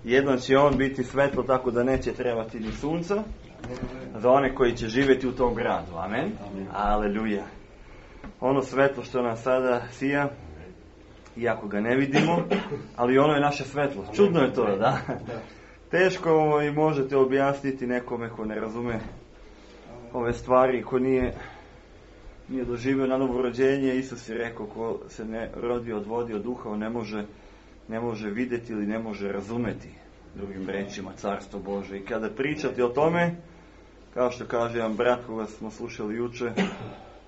Jednom će on biti svetlo tako da neće trebati ni sunca za one koji će živjeti u tom gradu. Amen. Aleluja. Ono svetlo što nam sada sija, iako ga ne vidimo, ali ono je naše svetlo. Čudno je to, da? Teško i možete objasniti nekome ko ne razume ove stvari, ko nije doživio na novo rođenje. Isus je rekao, ko se ne rodi od vode, od duha, on ne može vidjeti ili ne može razumeti, drugim rečima, Carstvo Bože. I kada pričate o tome, kao što kaže jedan brat koga smo slušali juče,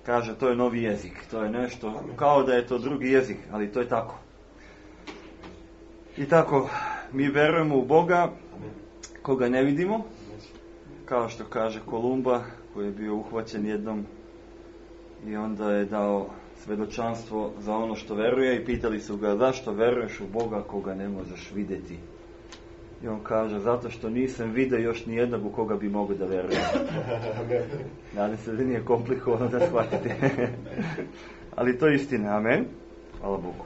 kaže to je novi jezik, to je nešto kao da je to drugi jezik, ali to je tako. I tako mi verujemo u Boga koga ne vidimo, kao što kaže Kolumba koji je bio uhvaćen jednom i onda je dao svedočanstvo za ono što veruje i pitali su ga zašto veruješ u Boga koga ne možeš vidjeti. I on kaže zato što nisam vidio još ni jednog u koga bi mogao da veruje. Nadam se da nije komplikovano da shvatite. Ali to je istina, amen. Hvala Bogu.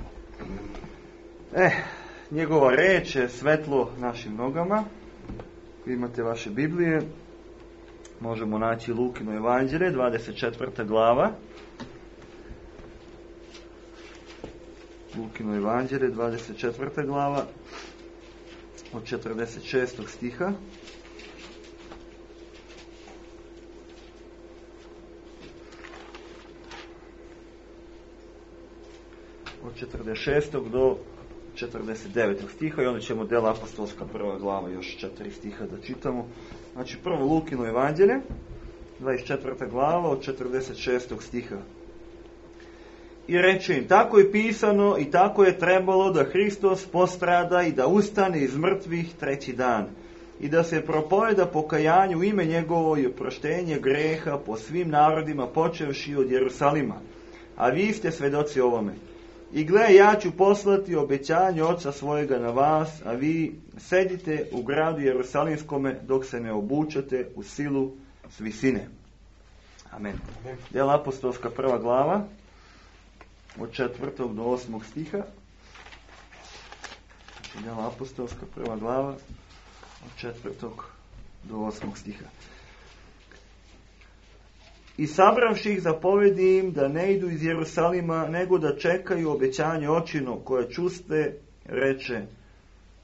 Njegova reč je svetlo našim nogama. Ako imate vaše Biblije, možemo naći Lukino evanđelje, 24. glava. Lukino evanđelje, 24. glava, od 46. stiha. Od 46. do 49. stiha i onda ćemo Dela apostolska 1. glava još 4 stiha da čitamo. Znači prvo Lukino evanđelje, 24. glava od 46. stiha. I reče im, tako je pisano i tako je trebalo da Hristos postrada i da ustane iz mrtvih 3. dan i da se propoveda pokajanje u ime njegovo i oproštenje greha po svim narodima počevši od Jerusalima. A vi ste svedoci ovome. I gle, ja ću poslati obećanje Oca svojega na vas, a vi sedite u gradu Jerusalimskome dok se ne obučete u silu s visine. Amen. Dela apostolska 1. glava od 4. do 8. stiha. Dela apostolska 1. glava od 4. do 8. stiha. I sabravši ih zapovedi im da ne idu iz Jerusalima, nego da čekaju obećanje očino koje čuste, reče,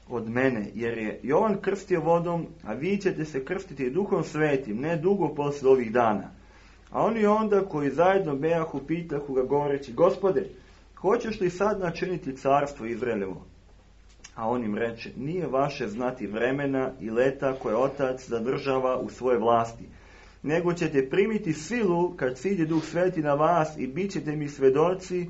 od mene. Jer je Jovan krstio vodom, a vi ćete se krstiti Duhom Svetim, ne dugo posle ovih dana. A oni onda koji zajedno bejahu pitahu ga govoreći, Gospode, hoćeš li sad načiniti carstvo Izraelevo? A on im reče, nije vaše znati vremena i leta koje Otac zadržava u svoje vlasti, nego ćete primiti silu kad siđe Duh Sveti na vas i bit ćete mi svedoci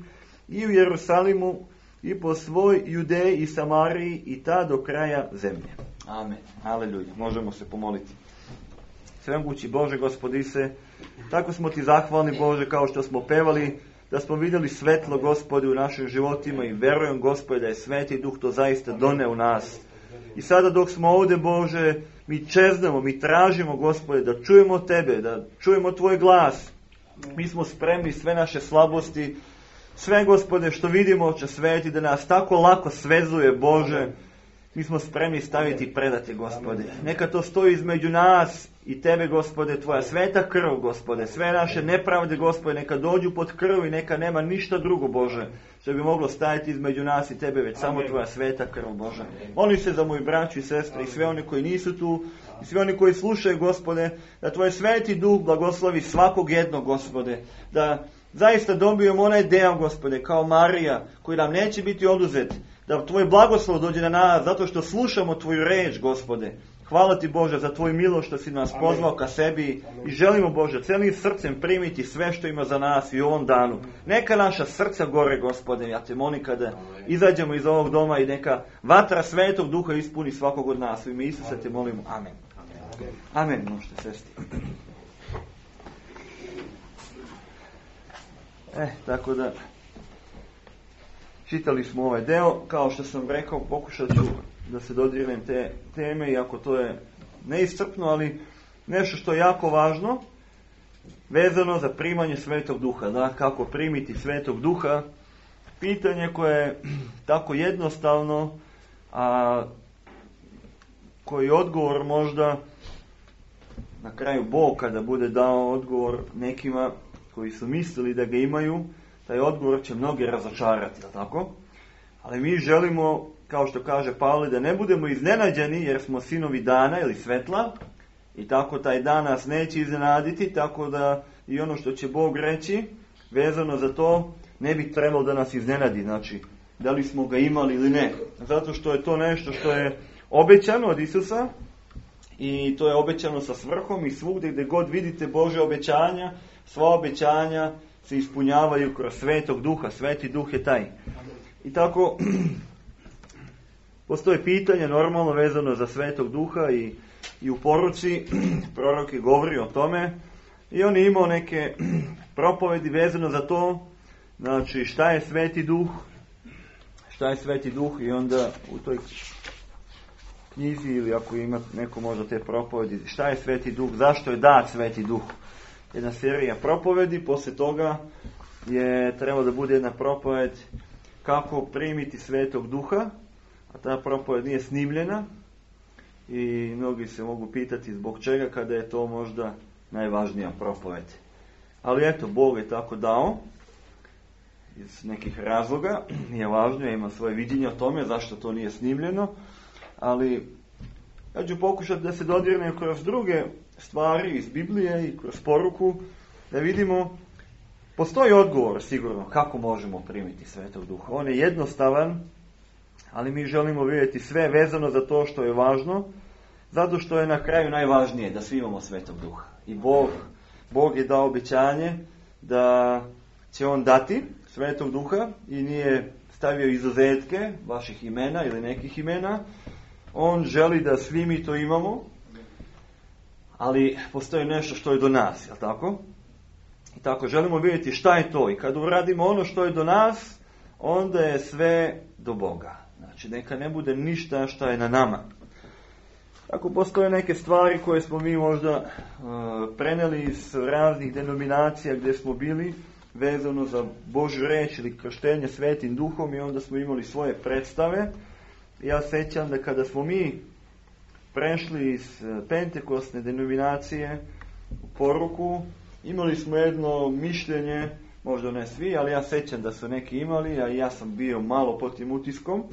i u Jerusalimu i po svoj Judeji i Samariji i ta do kraja zemlje. Amen. Aleluja. Možemo se pomoliti. Svemogući Bože, Gospodi se, tako smo ti zahvalni, Bože, kao što smo pevali, da smo vidjeli svetlo, Gospodi, u našim životima i verujem, Gospodi, da je Sveti Duh to zaista doneo u nas. I sada dok smo ovdje, Bože, mi čeznemo, mi tražimo, Gospode, da čujemo Tebe, da čujemo Tvoj glas. Mi smo spremni sve naše slabosti, sve, Gospode, što vidimo, Oče Sveti, da nas tako lako svezuje, Bože. Mi smo spremni staviti i predati, Gospode. Neka to stoji između nas i Tebe, Gospode, Tvoja sveta krv, Gospode. Sve naše nepravde, Gospode, neka dođu pod krv i neka nema ništa drugo, Bože, što bi moglo stajati između nas i Tebe, već samo Tvoja sveta krv, Bože. Molim se za moju braću i sestre i sve oni koji nisu tu, i svi oni koji slušaju, Gospode, da Tvoj Sveti Duh blagoslovi svakog jednog, Gospode, da zaista dobijemo onaj deo, Gospode, kao Marija, koji nam neće biti oduzet, da Tvoj blagoslov dođe na nas, zato što slušamo Tvoju reč, Gospode. Hvala Ti, Bože, za Tvoju milost što si nas pozvao ka sebi i želimo, Bože, celim srcem primiti sve što ima za nas i u ovom danu. Neka naša srca gore, Gospode, ja Te molim kada izađemo iz ovog doma i neka vatra Svetog Duha ispuni svakog od nas. U ime Isusa Te molimo. Amen. Amen. Možete sesti. Tako da, čitali smo ovaj deo, kao što sam rekao, pokušat ću da se dodirnem te teme, iako to je neiscrpno, ali nešto što je jako važno, vezano za primanje Svetog Duha. Da, kako primiti Svetog Duha, pitanje koje je tako jednostavno, a koji odgovor možda na kraju Bog kada bude dao odgovor nekima koji su mislili da ga imaju, taj odgovor će mnoge razočarati, tako? Ali mi želimo, kao što kaže Pavle, da ne budemo iznenađeni jer smo sinovi dana ili svetla i tako taj dan nas neće iznenaditi, tako da i ono što će Bog reći vezano za to ne bi trebalo da nas iznenadi, znači da li smo ga imali ili ne. Zato što je to nešto što je obećano od Isusa i to je obećano sa svrhom i svugdje gdje god vidite Bože obećanja, sva obećanja se ispunjavaju kroz Svetog Duha. Sveti Duh je taj. I tako postoje pitanje normalno vezano za Svetog Duha i u poruci prorok je govorio o tome i on je imao neke propovedi vezano za to, znači šta je Sveti Duh, i onda u toj knjizi ili ako ima neko možda te propovedi, šta je Sveti Duh, zašto je dat Sveti Duh. Jedna serija propovedi, poslije toga je trebalo da bude jedna propoved kako primiti Svetog Duha, a ta propoved nije snimljena i mnogi se mogu pitati zbog čega kada je to možda najvažnija propoved. Ali eto, Bog je tako dao iz nekih razloga, nije važno, ja imam svoje viđenje o tome zašto to nije snimljeno, ali ja ću pokušati da se dodirnem kroz druge stvari iz Biblije i kroz poruku, da vidimo Postoji odgovor sigurno kako možemo primiti Svetog Duha. On je jednostavan, ali mi želimo vidjeti sve vezano za to što je važno, zato što je na kraju najvažnije da svi imamo Svetog Duha. I Bog je dao obećanje da će on dati Svetog Duha i nije stavio izuzetke vaših imena ili nekih imena. On želi da svi mi to imamo, ali postoji nešto što je do nas, jel tako? I tako želimo vidjeti šta je to. I kad uradimo ono što je do nas, onda je sve do Boga. Znači, neka ne bude ništa šta je na nama. Ako postoje neke stvari koje smo mi možda preneli iz raznih denominacija gdje smo bili, vezano za Božju reč ili krštenje Svetim Duhom, i onda smo imali svoje predstave. Ja sećam da kada smo mi prešli iz pentekostne denominacije u poruku, imali smo jedno mišljenje, možda ne svi, ali ja sećam da su neki imali, a ja sam bio malo pod tim utiskom,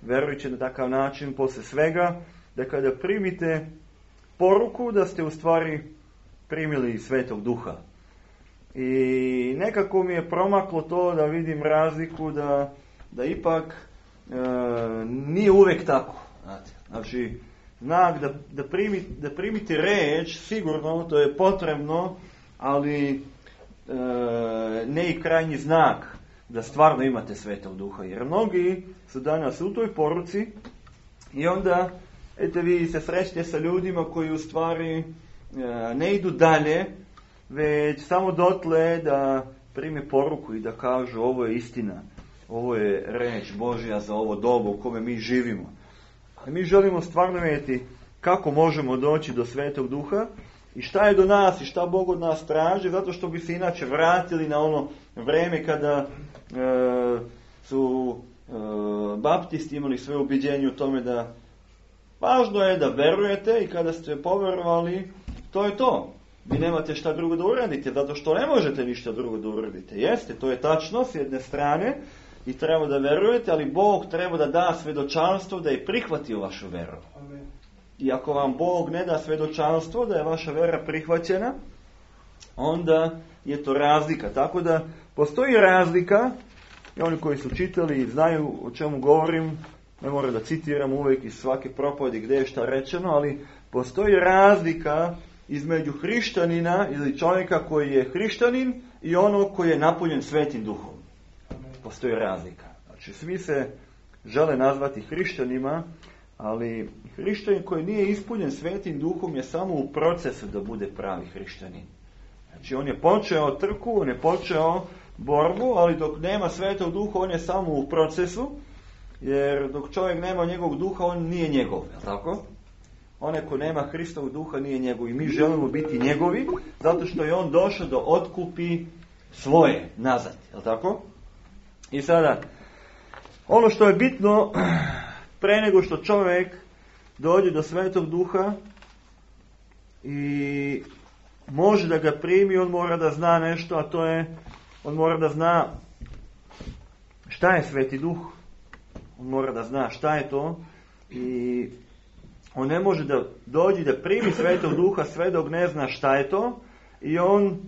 verujući na takav način, posle svega, da kada primite poruku, da ste u stvari primili Svetog Duha. I nekako mi je promaklo to da vidim razliku da ipak nije uvijek tako. Znači, znak da primite reč, sigurno, to je potrebno, ali ne i krajnji znak da stvarno imate Svetog Duha. Jer mnogi su danas u toj poruci i onda, eto, vi se srećete sa ljudima koji u stvari ne idu dalje, već samo dotle da prime poruku i da kažu ovo je istina, ovo je reč Božja za ovo dobu u kome mi živimo. Ali mi želimo stvarno vidjeti kako možemo doći do Svetog Duha i šta je do nas i šta Bog od nas traži, zato što bi se inače vratili na ono vreme kada su baptisti imali svoje ubjeđenje u tome da važno je da verujete i kada ste poverovali, to je to. Vi nemate šta drugo da uradite, zato što ne možete ništa drugo da uradite. Jeste, to je tačno s jedne strane i treba da verujete, ali Bog treba da da svedočanstvo da je prihvatio vašu veru. Amen. I ako vam Bog ne da svedočanstvo da je vaša vera prihvaćena, onda je to razlika. Tako da postoji razlika, i oni koji su čitali i znaju o čemu govorim, ne moram da citiram uvijek iz svake propovedi gdje je šta rečeno, ali postoji razlika između hrišćanina ili čovjeka koji je hrišćanin i onog koji je napunjen Svetim Duhom. Postoji razlika. Znači, svi se žele nazvati hrišćanima, ali hrišćanin koji nije ispunjen Svetim Duhom je samo u procesu da bude pravi hrišćanin. Znači, on je počeo trku, on je počeo borbu, ali dok nema Svetog Duha, on je samo u procesu, jer dok čovjek nema njegovog duha, on nije njegov, je tako? Onaj ko nema Hristovog duha nije njegov i mi želimo biti njegovi, zato što je on došao da otkupi svoje nazad, je tako? I sada, ono što je bitno, pre nego što čovjek dođe do Svetog Duha i može da ga primi, on mora da zna nešto, a to je, on mora da zna šta je Sveti Duh. On mora da zna šta je to i on ne može da dođe da primi Svetog Duha sve dok ne zna šta je to i on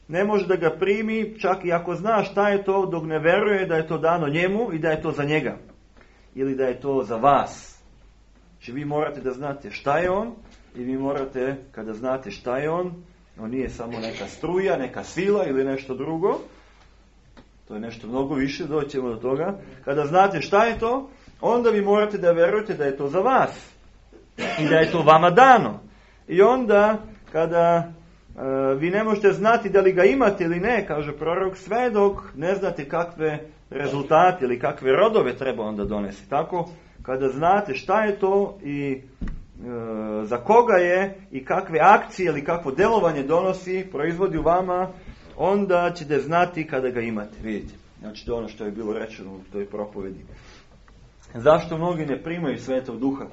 ne može da ga primi čak i ako zna šta je to dok ne veruje da je to dano njemu i da je to za njega ili da je to za vas. Znači vi morate da znate šta je on i vi morate, kada znate šta je on nije samo neka struja, neka sila ili nešto drugo. To je nešto mnogo više, doćemo do toga. Kada znate šta je to, onda vi morate da verujete da je to za vas i da je to vama dano. I onda, kada vi ne možete znati da li ga imate ili ne, kaže prorok, sve dok ne znate kakve rezultate ili kakve rodove treba onda donesti. Tako, kada znate šta je to i za koga je i kakve akcije ili kakvo delovanje donosi, proizvodi u vama, onda ćete znati kada ga imate. Vidite, znači to je ono što je bilo rečeno u toj propovedi. Zašto mnogi ne primaju Svetog Duha?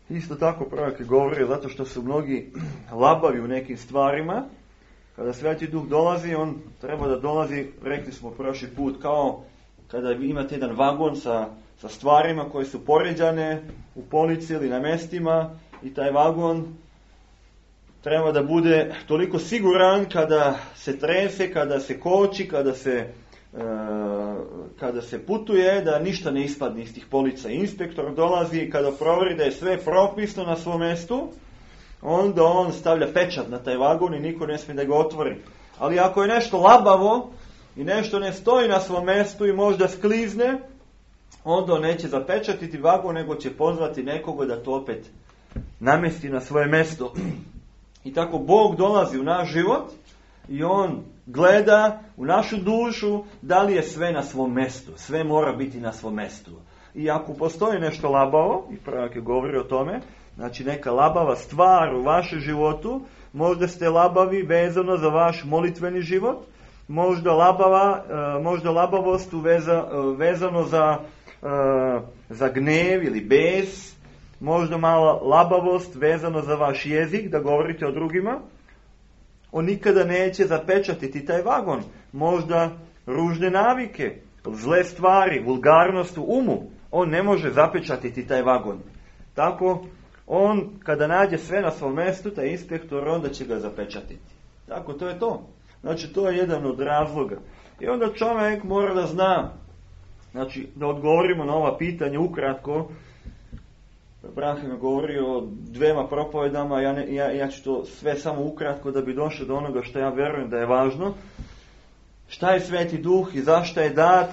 Isto tako prorok je govorio, zato što su mnogi labavi u nekim stvarima. Kada Sveti Duh dolazi, on treba da dolazi, rekli smo prošli put, kao kada imate jedan vagon sa stvarima koje su poređane u polici ili na mestima i taj vagon treba da bude toliko siguran kada se trese, kada se koči, kada se putuje, da ništa ne ispadne iz tih polica. Inspektor dolazi i kada proveri da je sve propisno na svom mjestu, onda on stavlja pečat na taj vagon i niko ne smije da ga otvori. Ali ako je nešto labavo i nešto ne stoji na svom mjestu i možda sklizne, onda on neće zapečatiti vagon, nego će pozvati nekoga da to opet namjesti na svoje mjesto. I tako Bog dolazi u naš život i on gleda u našu dušu da li je sve na svom mjestu. Sve mora biti na svom mjestu. I ako postoji nešto labavo, i prvak je govori o tome, znači neka labava stvar u vašem životu, možda ste labavi vezano za vaš molitveni život, možda labavost vezano za gnev ili bes, možda mala labavost vezano za vaš jezik, da govorite o drugima. On nikada neće zapečatiti taj vagon. Možda ružne navike, zle stvari, vulgarnost u umu. On ne može zapečatiti taj vagon. Tako, on kada nađe sve na svom mjestu, taj inspektor, onda će ga zapečatiti. Tako, to je to. Znači, to je jedan od razloga. I onda čovjek mora da zna, znači, da odgovorimo na ova pitanja ukratko. Brahim je govorio o 2 propovedama, ja ću to sve samo ukratko da bi došao do onoga što ja vjerujem da je važno. Šta je Sveti Duh i zašto je dat?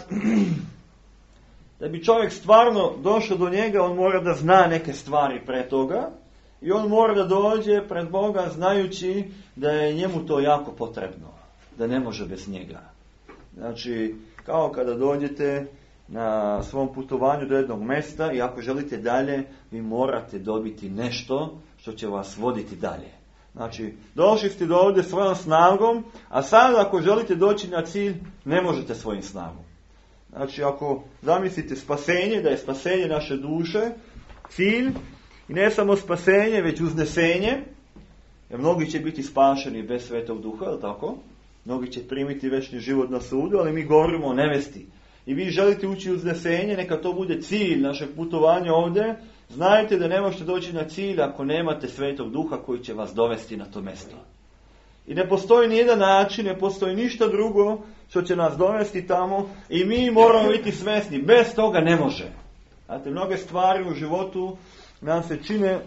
Da bi čovjek stvarno došao do njega, on mora da zna neke stvari pre toga i on mora da dođe pred Boga znajući da je njemu to jako potrebno, da ne može bez njega. Znači, kao kada dođete na svom putovanju do jednog mjesta i ako želite dalje, vi morate dobiti nešto što će vas voditi dalje. Znači, došli ste do ovdje svojom snagom, a sad ako želite doći na cilj, ne možete svojim snagom. Znači, ako zamislite spasenje, da je spasenje naše duše, cilj, i ne samo spasenje, već uznesenje, jer mnogi će biti spašeni bez Svetog Duha, je li tako? Mnogi će primiti večni život na sudu, ali mi govorimo o nevesti. I vi želite ući u uznesenje, neka to bude cilj našeg putovanja ovdje, znajte da ne možete doći na cilj ako nemate Svetog Duha koji će vas dovesti na to mjesto. I ne postoji nijedan način, ne postoji ništa drugo što će nas dovesti tamo i mi moramo biti svjesni, bez toga ne može. Znate, mnoge stvari u životu nam se čine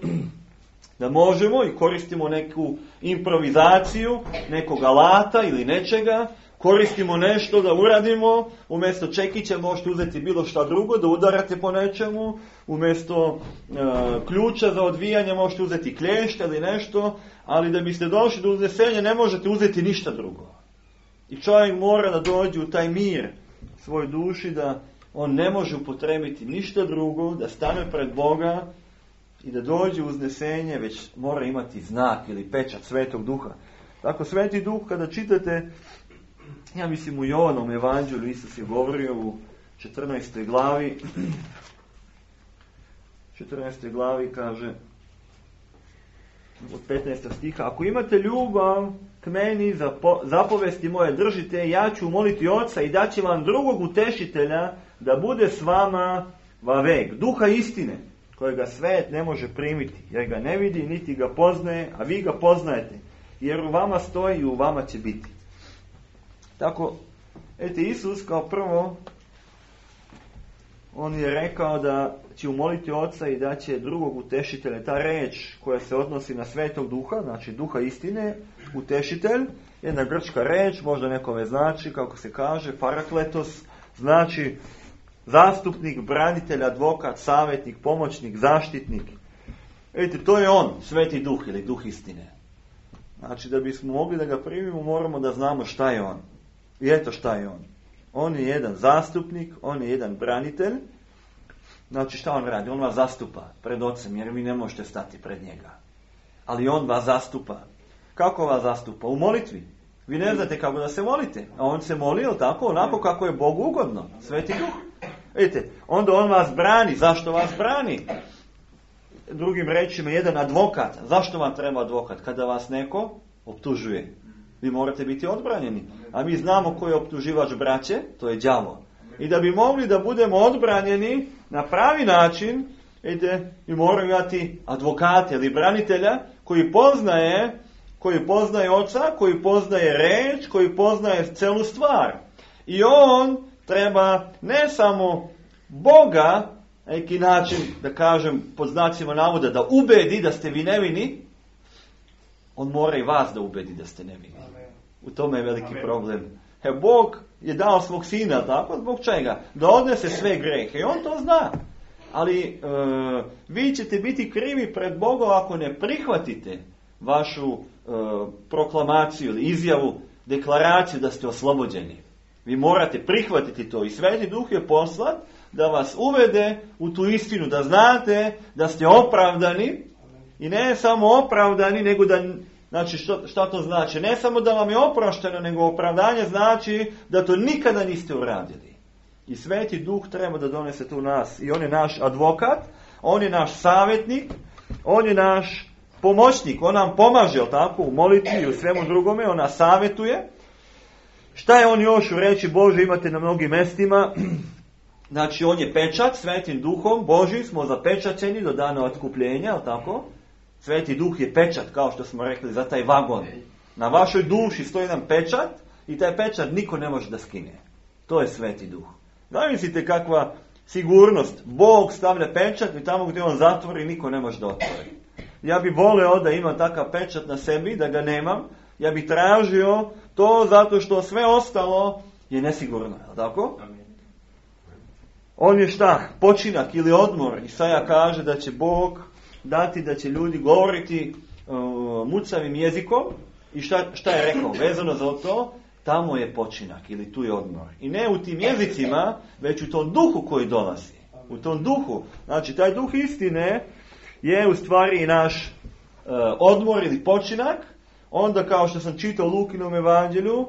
da možemo i koristimo neku improvizaciju, nekog alata ili nečega, koristimo nešto da uradimo, umjesto čekića možete uzeti bilo šta drugo, da udarate po nečemu, umjesto ključa za odvijanje možete uzeti klješta ili nešto, ali da biste došli do uznesenja ne možete uzeti ništa drugo. I čovjek mora da dođe u taj mir svoj duši, da on ne može upotrebiti ništa drugo, da stane pred Boga i da dođe u uznesenje, već mora imati znak ili pečat Svetog Duha. Tako Sveti Duh, kada čitate, ja mislim u Jovanom evanđelju, Isus je govorio u 14. glavi, 14. glavi kaže, od 15. stiha, ako imate ljubav k meni, zapovesti moje držite, ja ću moliti Oca i daće vam drugog utešitelja da bude s vama vavek, Duha istine, kojega svet ne može primiti, jer ga ne vidi, niti ga poznaje, a vi ga poznajete, jer u vama stoji i u vama će biti. Tako, Isus kao prvo, on je rekao da će umoliti Oca i da će drugog utešitelja. Ta reč koja se odnosi na Svetog Duha, znači Duha istine, utešitelj, jedna grčka reč, možda nekome znači, kako se kaže, parakletos, znači zastupnik, branitelj, advokat, savjetnik, pomoćnik, zaštitnik. To je on, Sveti Duh ili Duh istine. Znači, da bismo mogli da ga primimo, moramo da znamo šta je on. I eto šta je on. On je jedan zastupnik, on je jedan branitelj. Znači, šta on radi? On vas zastupa pred Ocem, jer vi ne možete stati pred njega. Ali on vas zastupa. Kako vas zastupa? U molitvi. Vi ne znate kako da se molite. A on se molio tako, onako kako je Bogu ugodno. Sveti Duh. Vidite, onda on vas brani. Zašto vas brani? Drugim rečima, jedan advokat. Zašto vam treba advokat? Kada vas neko optužuje. Vi morate biti odbranjeni. A mi znamo ko je optuživač braće, to je đavo. I da bi mogli da budemo odbranjeni na pravi način, mi moramo imati advokata ili branitelja koji poznaje koji poznaje Oca, koji poznaje reč, koji poznaje celu stvar. I on treba ne samo Boga, na neki način, da kažem, pod znacima navoda, da ubedi da ste vi nevini, on mora i vas da ubedi da ste nevini. U tome je veliki problem. Bog je dao svog sina, tako? Zbog čega? Da odnese sve grehe. I on to zna. Ali vi ćete biti krivi pred Bogom ako ne prihvatite vašu proklamaciju ili izjavu, deklaraciju da ste oslobođeni. Vi morate prihvatiti to. I Sveti Duh je poslat da vas uvede u tu istinu, da znate da ste opravdani. I ne samo opravdani, nego da... Znači, šta to znači? Ne samo da vam je oprošteno, nego opravdanje znači da to nikada niste uradili. I Sveti Duh treba da donese to u nas. I on je naš advokat, on je naš savjetnik, on je naš pomoćnik. On nam pomaže, tako, u molitvi i u svemu drugome, on nas savjetuje. Šta je on još u reči Bože imate na mnogim mestima? Znači, on je pečat, Svetim Duhom Božim smo zapečaćeni do dana otkupljenja, tako? Sveti Duh je pečat, kao što smo rekli, za taj vagon. Na vašoj duši stoji jedan pečat i taj pečat niko ne može da skine. To je Sveti Duh. Zamislite kakva sigurnost. Bog stavlja pečat i tamo gdje on zatvori niko ne može da otvori. Ja bi voleo da imam takav pečat na sebi, da ga nemam. Ja bi tražio to zato što sve ostalo je nesigurno. Tako? On je šta? Počinak ili odmor. Isaja kaže da će Bog dati da će ljudi govoriti mucavim jezikom. I šta je rekao? Vezano za to, tamo je počinak ili tu je odmor. I ne u tim jezicima, već u tom duhu koji dolazi. U tom duhu. Znači, taj duh istine je u stvari i naš odmor ili počinak. Onda, kao što sam čitao u Lukinom evanđelju,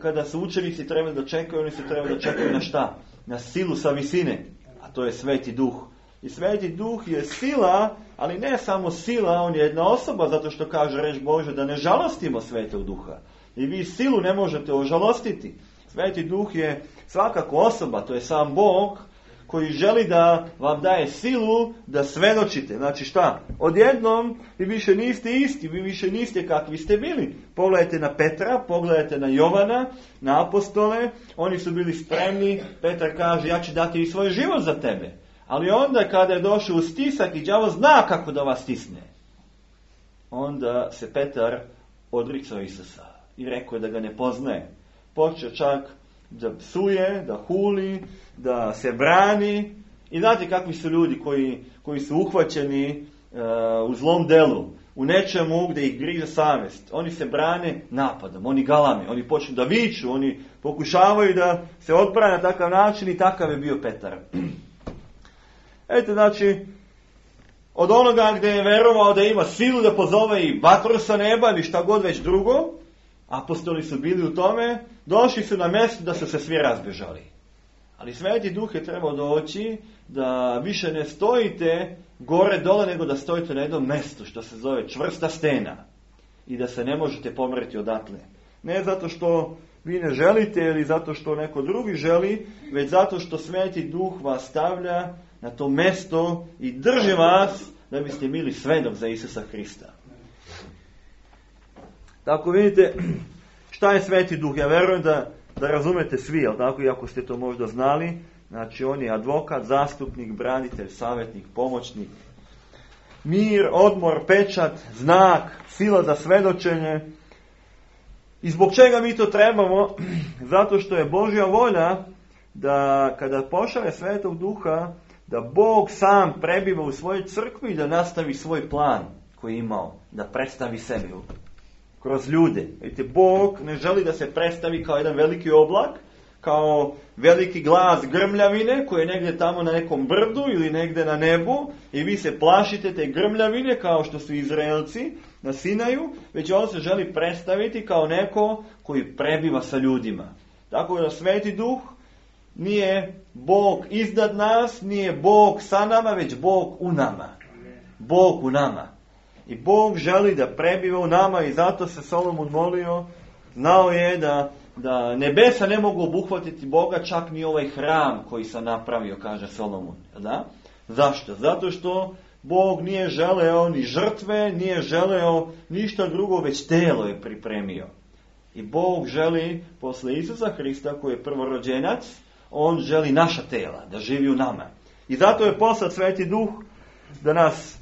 kada su učenici trebali da čekaju, oni se trebali da čekaju na šta? Na silu sa visine. A to je Sveti Duh. I Sveti Duh je sila, ali ne samo sila, on je jedna osoba, zato što kaže reč Bože da ne žalostimo Svetog Duha. I vi silu ne možete ožalostiti. Sveti Duh je svakako osoba, to je sam Bog koji želi da vam daje silu da svedočite. Znači šta? Odjednom vi više niste isti, vi više niste kakvi ste bili. Pogledajte na Petra, pogledajte na Jovana, na apostole, oni su bili spremni. Petar kaže, ja ću dati i svoj život za tebe. Ali onda kada je došao u stisak i đavo zna kako da vas stisne, onda se Petar odricao Isusa i rekao da ga ne poznaje. Počeo čak da psuje, da huli, da se brani. I znate kakvi su ljudi koji su uhvaćeni u zlom delu, u nečemu gdje ih griže savjest. Oni se brane napadom, oni galame, oni počnu da viču, oni pokušavaju da se odbrane na takav način i takav je bio Petar. Eto, znači, od onoga gdje je verovao da ima silu da pozove i vatru sa neba ili šta god već drugo, apostoli su bili u tome, došli su na mjesto da su se svi razbežali. Ali Sveti Duh je trebao doći da više ne stojite gore dole, nego da stojite na jednom mjestu što se zove čvrsta stena i da se ne možete pomreti odatle. Ne zato što vi ne želite ili zato što neko drugi želi, već zato što Sveti Duh vas stavlja na to mjesto i drži vas da biste bili svedok za Isusa Hrista. Tako vidite, šta je Sveti Duh? Ja verujem da razumete svi, jel tako, iako ste to možda znali. Znači, on je advokat, zastupnik, branitelj, savjetnik, pomoćnik. Mir, odmor, pečat, znak, sila za svedočenje. I zbog čega mi to trebamo? Zato što je Božja volja da kada pošalje Svetog Duha, da Bog sam prebiva u svojoj crkvi i da nastavi svoj plan koji je imao, da predstavi sebe kroz ljude. Vidite, Bog ne želi da se predstavi kao jedan veliki oblak, kao veliki glas grmljavine koji je negdje tamo na nekom brdu ili negdje na nebu i vi se plašite te grmljavine kao što su Izraelci na Sinaju, već on se želi predstaviti kao neko koji prebiva sa ljudima. Tako da Sveti Duh nije Bog iznad nas, nije Bog sa nama, već Bog u nama. Bog u nama. I Bog želi da prebiva u nama i zato se Solomon molio, znao je da nebesa ne mogu obuhvatiti Boga, čak ni ovaj hram koji sam napravio, kaže Solomon. Da? Zašto? Zato što Bog nije želeo ni žrtve, nije želeo ništa drugo, već telo je pripremio. I Bog želi, posle Isusa Hrista, koji je prvorođenac, on želi naša tela, da živi u nama. I zato je poslat Sveti Duh da nas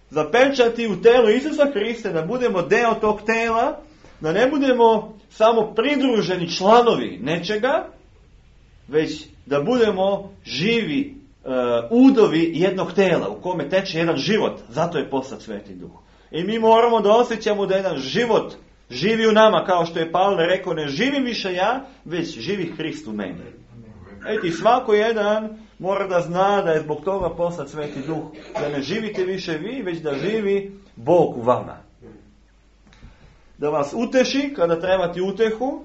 zapečati u telu Isusa Hrista, da budemo deo tog tela, da ne budemo samo pridruženi članovi nečega, već da budemo živi udovi jednog tela u kome teče jedan život. Zato je poslat Sveti Duh. I mi moramo da osjećamo da jedan život živi u nama, kao što je Pavle rekao, ne živim više ja, već živi Hrist u meni. I svako jedan mora da zna da je zbog toga poslat Sveti Duh, da ne živite više vi, već da živi Bog u vama. Da vas uteši kada trebate utehu,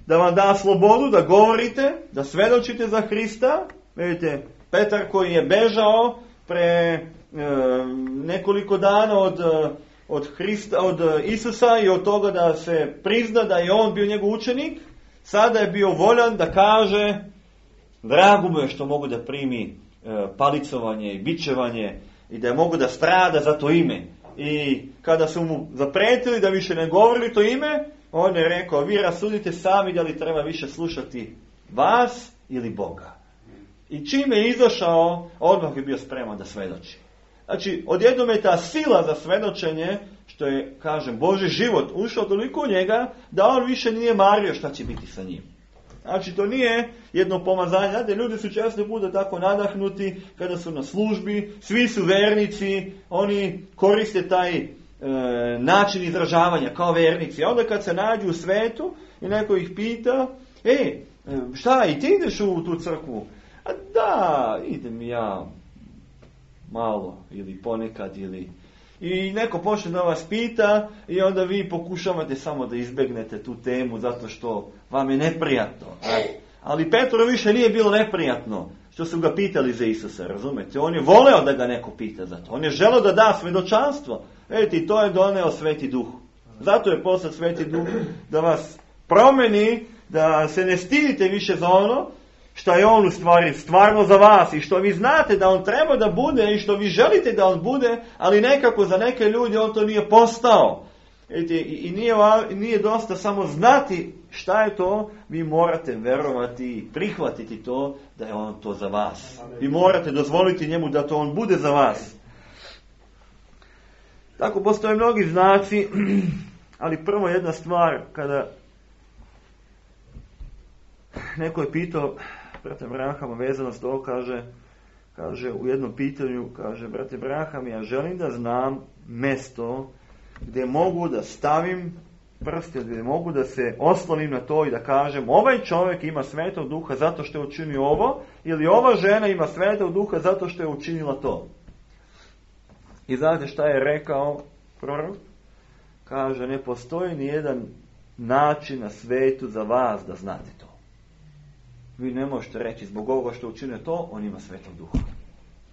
da vam da slobodu da govorite, da svedočite za Hrista. Vidite, Petar koji je bežao pre nekoliko dana od Isusa i od toga da se prizna da je on bio njegov učenik, sada je bio voljan da kaže, drago mu je što mogu da primi palicovanje i bičevanje i da je mogu da strada za to ime. I kada su mu zapretili da više ne govori to ime, on je rekao, vi rasudite sami da li treba više slušati vas ili Boga. I čim je izašao, odmah je bio spreman da svedoči. Znači, odjednom je ta sila za svedočenje, što je, kažem, Božji život ušao toliko u njega, da on više nije mario šta će biti sa njim. Znači, to nije jedno pomazanje. Znate, ljudi su često puta tako nadahnuti kada su na službi, svi su vernici, oni koriste taj način izražavanja kao vernici. A onda kad se nađu u svetu i neko ih pita, šta, i ti ideš u tu crkvu? A da, idem ja malo ili ponekad ili... I neko počne da vas pita i onda vi pokušavate samo da izbegnete tu temu zato što vam je neprijatno. Ali Petru više nije bilo neprijatno što su ga pitali za Isusa, razumete? On je voleo da ga neko pita za to. On je želeo da da svedočanstvo. Vidite, i to je doneo Sveti Duh. Zato je poslat Sveti Duh da vas promeni, da se ne stidite više za ono što je on u stvari stvarno za vas i što vi znate da on treba da bude i što vi želite da on bude, ali nekako za neke ljudi on to nije postao. I nije dosta samo znati šta je to, vi morate verovati i prihvatiti to da je on to za vas. Vi morate dozvoliti njemu da to on bude za vas. Tako postoje mnogi znaci, ali prvo jedna stvar, kada neko je pitao brate Brahama vezano s to, kaže u jednom pitanju, kaže, brate Braham, ja želim da znam mesto gdje mogu da stavim prste, gdje mogu da se oslonim na to i da kažem, ovaj čovjek ima Svetog Duha zato što je učinio ovo, ili ova žena ima Svetog Duha zato što je učinila to. I znate šta je rekao prorok? Kaže, ne postoji ni jedan način na svetu za vas da znate to. Vi ne možete reći zbog ovoga što učinio to, on ima Svetog Duha.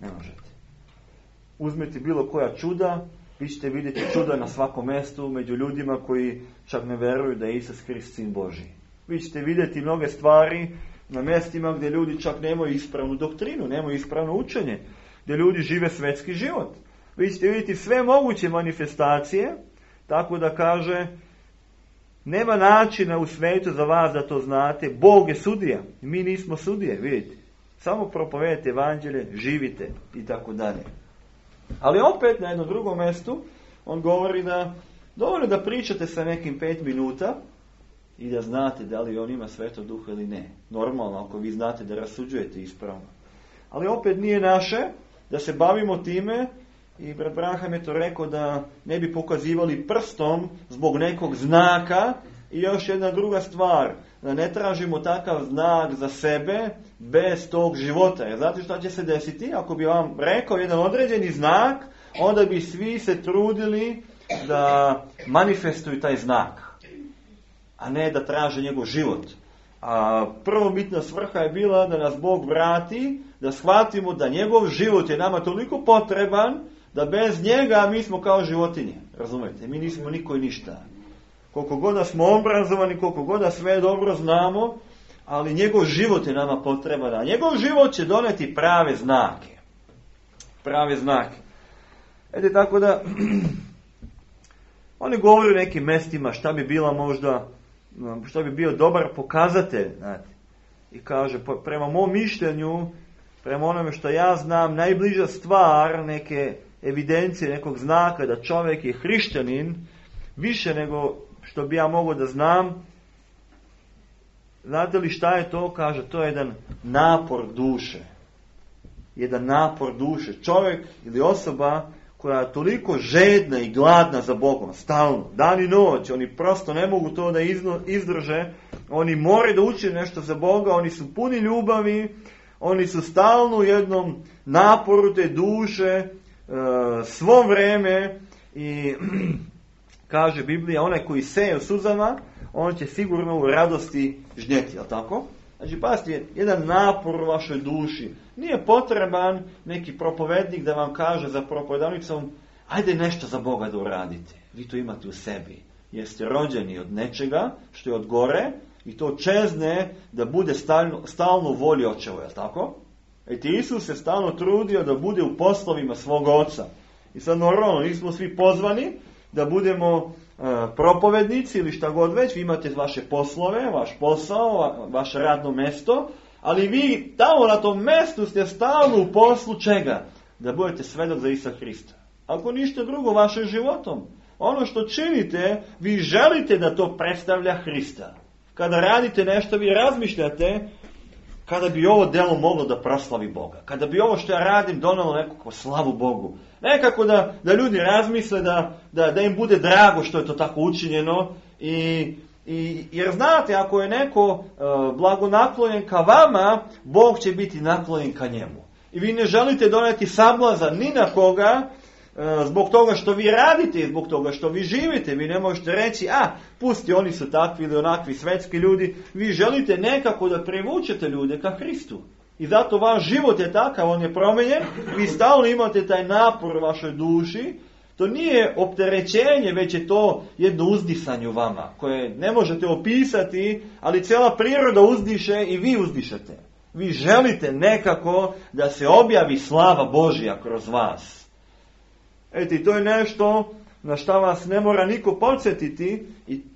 Ne možete. Uzmite bilo koja čuda, vi ćete vidjeti čuda na svakom mjestu među ljudima koji čak ne veruju da je Isus Hrist Sin Božji. Vi ćete vidjeti mnoge stvari na mjestima gdje ljudi čak nemaju ispravnu doktrinu, nemaju ispravno učenje, gdje ljudi žive svetski život. Vi ćete vidjeti sve moguće manifestacije, tako da kaže, nema načina u svijetu za vas da to znate. Bog je sudija. Mi nismo sudije, vidite. Samo propovedite evanđelje, živite i tako dalje. Ali opet na jednom drugom mjestu on govori da dovoljno da pričate sa nekim 5 minuta i da znate da li on ima Svetog Duha ili ne. Normalno, ako vi znate da rasuđujete ispravno. Ali opet nije naše da se bavimo time. I brat Braham je to rekao da ne bi pokazivali prstom zbog nekog znaka. I još jedna druga stvar, da ne tražimo takav znak za sebe bez tog života. Jer znate šta će se desiti? Ako bi vam rekao jedan određeni znak, onda bi svi se trudili da manifestuju taj znak, a ne da traže njegov život. A prvobitna svrha je bila da nas Bog vrati, da shvatimo da njegov život je nama toliko potreban, da bez njega mi smo kao životinje. Razumete? Mi nismo niko i ništa. Koliko god da smo obrazovani, koliko god da sve dobro znamo, ali njegov život je nama potreban. A njegov život će doneti prave znake. Prave znake. Eto tako da, oni govore o nekim mestima šta bi bila možda, šta bi bio dobar pokazatelj, znate. I kaže, prema mom mišljenju, prema onome što ja znam, najbliža stvar neke evidencije, nekog znaka da čovjek je hrišćanin, više nego što bi ja mogao da znam. Znate li šta je to? Kaže, to je jedan napor duše. Jedan napor duše. Čovjek ili osoba koja je toliko žedna i gladna za Bogom, stalno, dan i noć, oni prosto ne mogu to da izdrže, oni moraju da uče nešto za Boga, oni su puni ljubavi, oni su stalno u jednom naporu te duše, svo vreme i kaže Biblija, onaj koji seje u suzama, on će sigurno u radosti žnjeti, jel tako? Znači, pazite, jedan napor u vašoj duši. Nije potreban neki propovednik da vam kaže za propovedavnicom, ajde nešto za Boga da uradite. Vi to imate u sebi. Jeste rođeni od nečega što je od gore i to čezne da bude stalno u volji očeva, jel tako? Isus se stalno trudio da bude u poslovima svog oca. I sad normalno, nismo svi pozvani da budemo propovednici ili šta god već, vi imate vaše poslove, vaš posao, vaše radno mesto, ali vi tamo na tom mestu ste stalno u poslu čega? Da budete svedok za Isusa Hrista. Ako ništa drugo vašim životom. Ono što činite, vi želite da to predstavlja Hrista. Kada radite nešto, vi razmišljate kada bi ovo delo moglo da proslavi Boga. Kada bi ovo što ja radim donalo nekako slavu Bogu. Nekako da ljudi razmisle da im bude drago što je to tako učinjeno. Jer znate, ako je neko blagonaklonjen ka vama, Bog će biti naklonjen ka njemu. I vi ne želite doneti sablazan ni na koga, zbog toga što vi radite i zbog toga što vi živite. Vi ne možete reći, pusti, oni su takvi ili onakvi svetski ljudi. Vi želite nekako da privučete ljude ka Hristu. I zato vaš život je takav, on je promenjen. Vi stalno imate taj napor u vašoj duši. To nije opterećenje, već je to jedno uzdisanje u vama, koje ne možete opisati, ali cijela priroda uzdiše i vi uzdišete. Vi želite nekako da se objavi slava Božja kroz vas. Eto, i to je nešto na šta vas ne mora niko podsjetiti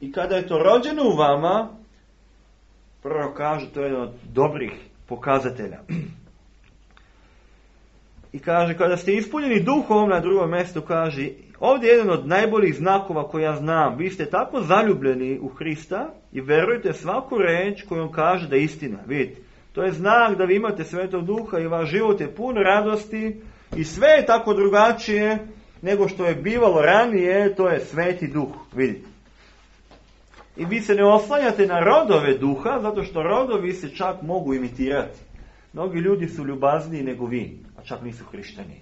i kada je to rođeno u vama, prvo kaže, to je jedan od dobrih pokazatelja. I kaže, kada ste ispunjeni duhom, na drugom mjestu kaže, ovdje je jedan od najboljih znakova koje ja znam. Vi ste tako zaljubljeni u Hrista i verujete svaku reč koju on kaže da je istina. Vidite, to je znak da vi imate Svetog Duha i vaš život je pun radosti i sve je tako drugačije nego što je bivalo ranije, to je Sveti Duh. Vidite. I vi se ne oslanjate na rodove duha, zato što rodovi se čak mogu imitirati. Mnogi ljudi su ljubazniji nego vi, a čak nisu hrišćani.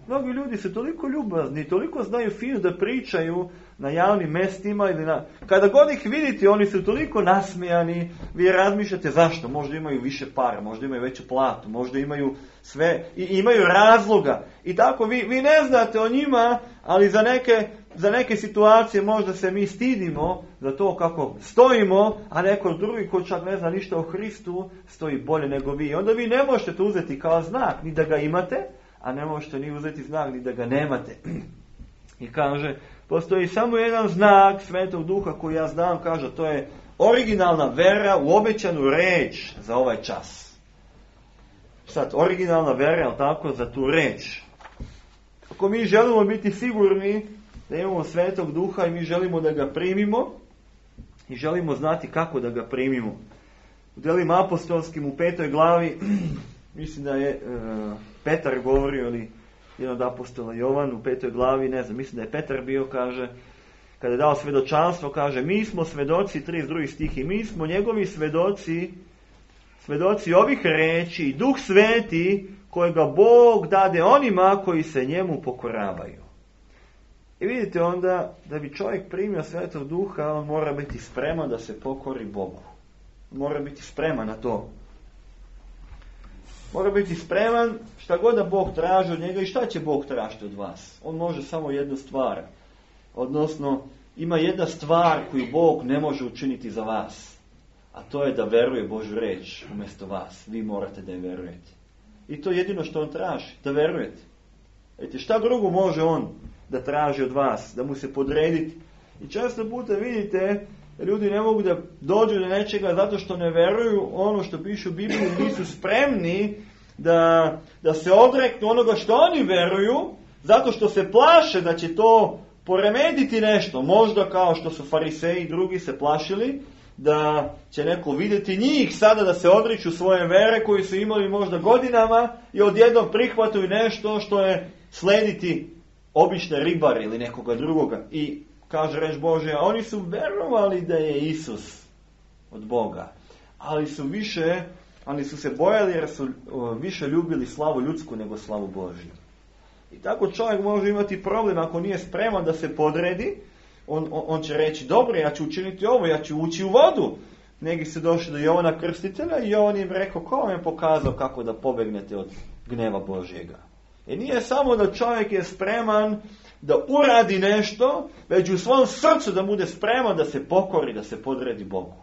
Mnogi ljudi su toliko ljubazni, toliko znaju fino da pričaju na javnim mestima ili kada god ih vidite, oni su toliko nasmijani, vi razmišljate zašto, možda imaju više para, možda imaju veću platu, možda imaju sve i imaju razloga. I tako vi ne znate o njima, ali za neke situacije možda se mi stidimo za to kako stojimo, a neko drugi ko čak ne zna ništa o Hristu stoji bolje nego vi. Onda vi ne možete to uzeti kao znak, ni da ga imate, a ne možete ni uzeti znak ni da ga nemate. I kaže, postoji samo jedan znak Svetog Duha koji ja znam, kaže, to je originalna vera u obećanu reč za ovaj čas. Sad, originalna vera, je tako, za tu reč. Ako mi želimo biti sigurni da imamo Svetog Duha i mi želimo da ga primimo i želimo znati kako da ga primimo. U Djelima apostolskim u 5. glavi, mislim da je Petar govorio, ili jedan od apostola Jovan u 5. glavi, ne znam, mislim da je Petar bio, kaže, kada je dao svedočanstvo, kaže, mi smo svedoci, 32. stih, i mi smo njegovi svedoci ovih reči i Duh Sveti kojega Bog dade onima koji se njemu pokoravaju. I vidite onda, da bi čovjek primio Svetog Duha, on mora biti spreman da se pokori Bogu. Mora biti spreman na to. Mora biti spreman šta god da Bog traži od njega i šta će Bog tražiti od vas. On može samo jednu stvar. Odnosno, ima jedna stvar koju Bog ne može učiniti za vas. A to je da veruje Božju reč umjesto vas. Vi morate da je verujete. I to je jedino što on traži, da verujete. Šta drugo može on da traži od vas? Da mu se podrediti? I često puta vidite, ljudi ne mogu da dođu do nečega zato što ne veruju ono što piše u Bibliji, nisu spremni da se odreknu onoga što oni veruju, zato što se plaše da će to poremetiti nešto. Možda kao što su fariseji i drugi se plašili da će neko vidjeti njih sada da se odriču svoje vere koji su imali možda godinama i odjednom prihvataju nešto što je slediti obične ribare ili nekoga drugoga. I kaže reč Božja, oni su verovali da je Isus od Boga, ali su se bojali jer su više ljubili slavu ljudsku nego slavu Božju. I tako čovjek može imati problem ako nije spreman da se podredi. On će reći, dobro, ja ću učiniti ovo, ja ću ući u vodu. Neki su došli do Jovana Krstitelja i on im rekao, ko vam je pokazao kako da pobegnete od gneva Božjega? I nije samo da čovjek je spreman da uradi nešto, već u svom srcu da bude spreman da se pokori, da se podredi Bogu.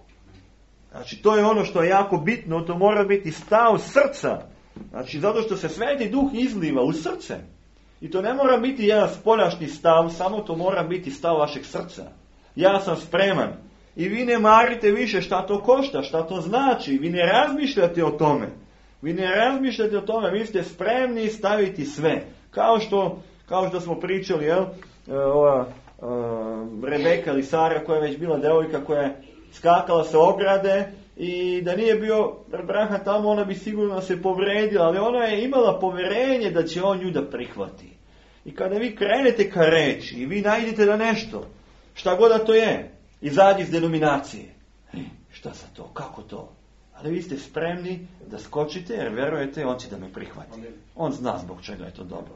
Znači, to je ono što je jako bitno, to mora biti stav srca. Znači, zato što se Sveti Duh izliva u srce. I to ne mora biti jedan spoljašnji stav, samo to mora biti stav vašeg srca. Ja sam spreman. I vi ne marite više šta to košta, šta to znači. Vi ne razmišljate o tome. Vi ste spremni staviti sve. Kao što smo pričali, Rebeka ili Sara koja je već bila devojka koja je skakala sa ograde i da nije bio Abraham tamo, ona bi sigurno se povredila, ali ona je imala poverenje da će on nju da prihvati. I kada vi krenete ka reči i vi najdete da nešto, šta god da to je, izađi iz denominacije. Šta sa to? Kako to? Ali vi ste spremni da skočite jer verujete, on će da me prihvati. On zna zbog čega je to dobro.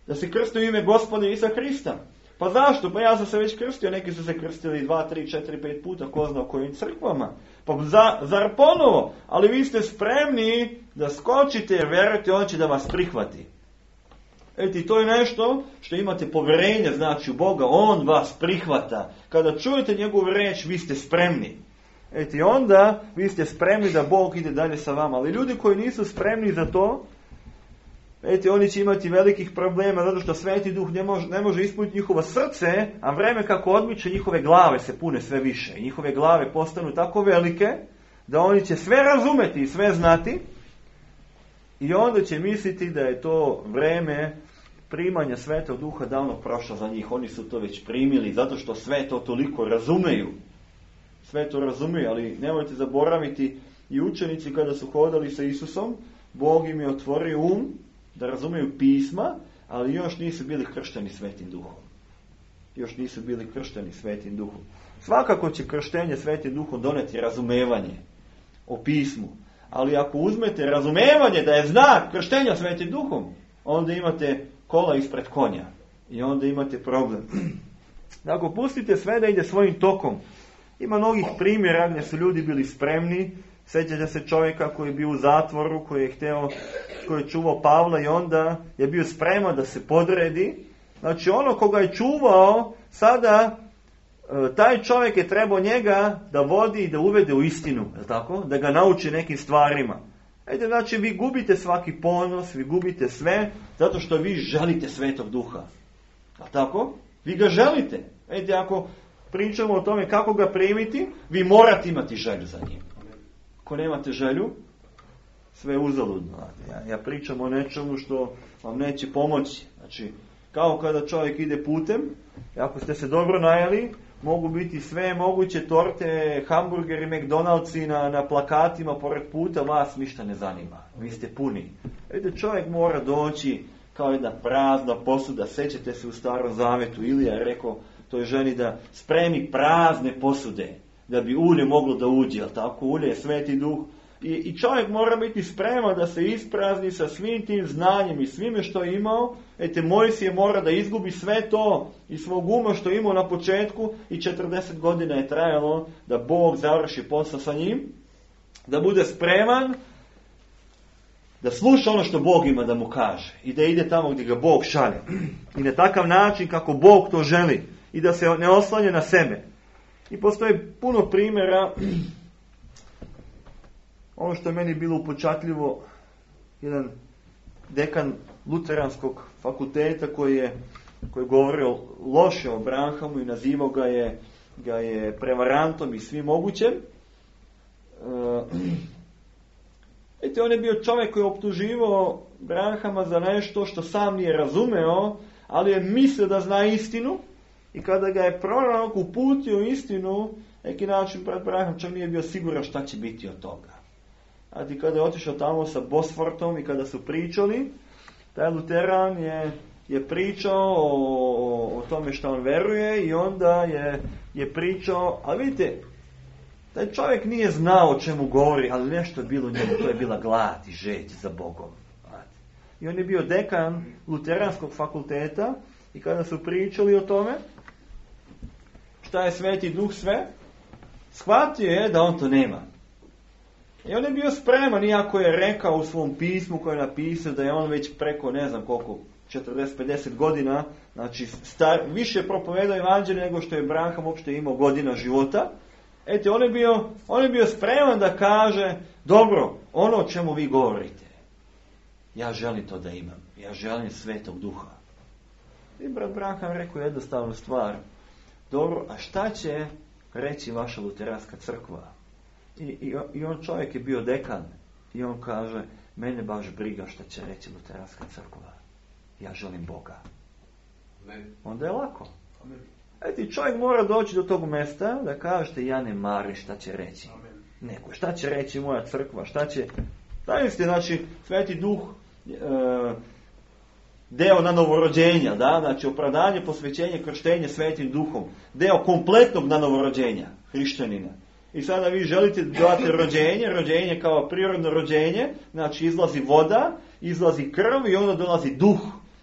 Da se krsti u ime Gospoda Isusa Hrista. Pa zašto? Pa ja sam se već krstio, neki su se krstili 2, 3, 4, 5 puta, ko zna u kojim crkvama. Pa zar ponovo? Ali vi ste spremni da skočite jer verujete, on će da vas prihvati. To je nešto što imate povjerenje, znači u Boga, on vas prihvata. Kada čujete njegovu reč, vi ste spremni. Onda vi ste spremni da Bog ide dalje sa vama. Ali ljudi koji nisu spremni za to, oni će imati velikih problema, zato što Sveti Duh ne može ispuniti njihovo srce, a vreme kako odmiče, njihove glave se pune sve više. I njihove glave postanu tako velike, da oni će sve razumeti i sve znati, i onda će misliti da je to vreme primanja Svetog Duha davno prošlo za njih. Oni su to već primili, zato što sve to toliko razumeju. Sve to razumeju, ali nemojte zaboraviti, i učenici kada su hodali sa Isusom, Bog im je otvorio da razumeju pisma, ali još nisu bili kršteni Svetim Duhom. Svakako će krštenje Svetim Duhom doneti razumevanje o pismu. Ali ako uzmete razumevanje da je znak krštenja Svetim Duhom, onda imate kola ispred konja. I onda imate problem. Ako pustite sve da ide svojim tokom, ima mnogih primjera gdje su ljudi bili spremni. Sjećate se čovjeka koji je bio u zatvoru, koji je čuvao Pavla i onda je bio spreman da se podredi. Znači ono koga je čuvao, sada taj čovjek je trebao njega da vodi i da uvede u istinu, tako? Da ga nauči nekim stvarima. Znači vi gubite svaki ponos, vi gubite sve, zato što vi želite Svetog Duha. Tako? Vi ga želite. Ako pričamo o tome kako ga primiti, vi morate imati želju za njim. Ako nemate želju, sve je uzaludno. Ja pričam o nečemu što vam neće pomoći. Znači, kao kada čovjek ide putem, ako ste se dobro najeli, mogu biti sve moguće torte, hamburgeri, McDonald'si na plakatima pored puta, vas ništa ne zanima. Vi ste puni. Čovjek mora doći kao jedna prazna posuda. Sećate se u Starom Zavetu, Ilija je rekao toj ženi da spremi prazne posude, da bi ulje moglo da uđe, jel tako? Ulje je Sveti Duh. I čovjek mora biti spreman da se isprazni sa svim tim znanjem i svime što je imao. Mojsije mora da izgubi sve to i svog uma što je imao na početku i 40 godina je trajalo da Bog završi posao sa njim, da bude spreman, da sluša ono što Bog ima da mu kaže i da ide tamo gdje ga Bog šalje. I na takav način kako Bog to želi i da se ne oslanja na sebe. I postoji puno primjera. Ono što je meni bilo upečatljivo, jedan dekan luteranskog fakulteta koji je govorio loše o Branhamu i nazivao ga je prevarantom i svim mogućem. On je bio čovjek koji je optuživao Branhama za nešto što sam nije razumeo, ali je mislio da zna istinu, i kada ga je prorok uputio istinu, neki način brat Branham čak nije bio siguran šta će biti od toga. A kada je otišao tamo sa Bosfortom i kada su pričali, taj luteran je pričao o tome što on veruje, i onda je pričao, ali vidite, taj čovjek nije znao o čemu govori, ali nešto je bilo u njemu, to je bila glad i žeđ za Bogom. I on je bio dekan luteranskog fakulteta, i kada su pričali o tome šta je Sveti Duh sve, shvatio je da on to nema. I on je bio spreman, iako je rekao u svom pismu koje je napisao da je on već preko ne znam koliko, 40-50 godina, znači više propovedao evanđelje nego što je Branham uopšte imao godina života. On je bio spreman da kaže, dobro, ono o čemu vi govorite, ja želim to da imam. Ja želim Svetog Duha. I brat Branham rekao jednostavnu stvar. Dobro, a šta će reći vaša luteranska crkva? I on čovjek je bio dekan. I on kaže, mene baš briga šta će reći luteranska crkva. Ja želim Boga. Amen. Onda je lako. Amen. Čovjek mora doći do tog mjesta da kažete, ja ne marim šta će reći. Amen. Neko, šta će reći moja crkva, šta će... Znači, Sveti Duh, deo na novorođenja, da? Znači, opravdanje, posvećenje, krštenje Svetim Duhom. Deo kompletnog na novorođenja hrišćanina. I sada vi želite dati rođenje kao prirodno rođenje, znači izlazi voda, izlazi krv i onda dolazi duh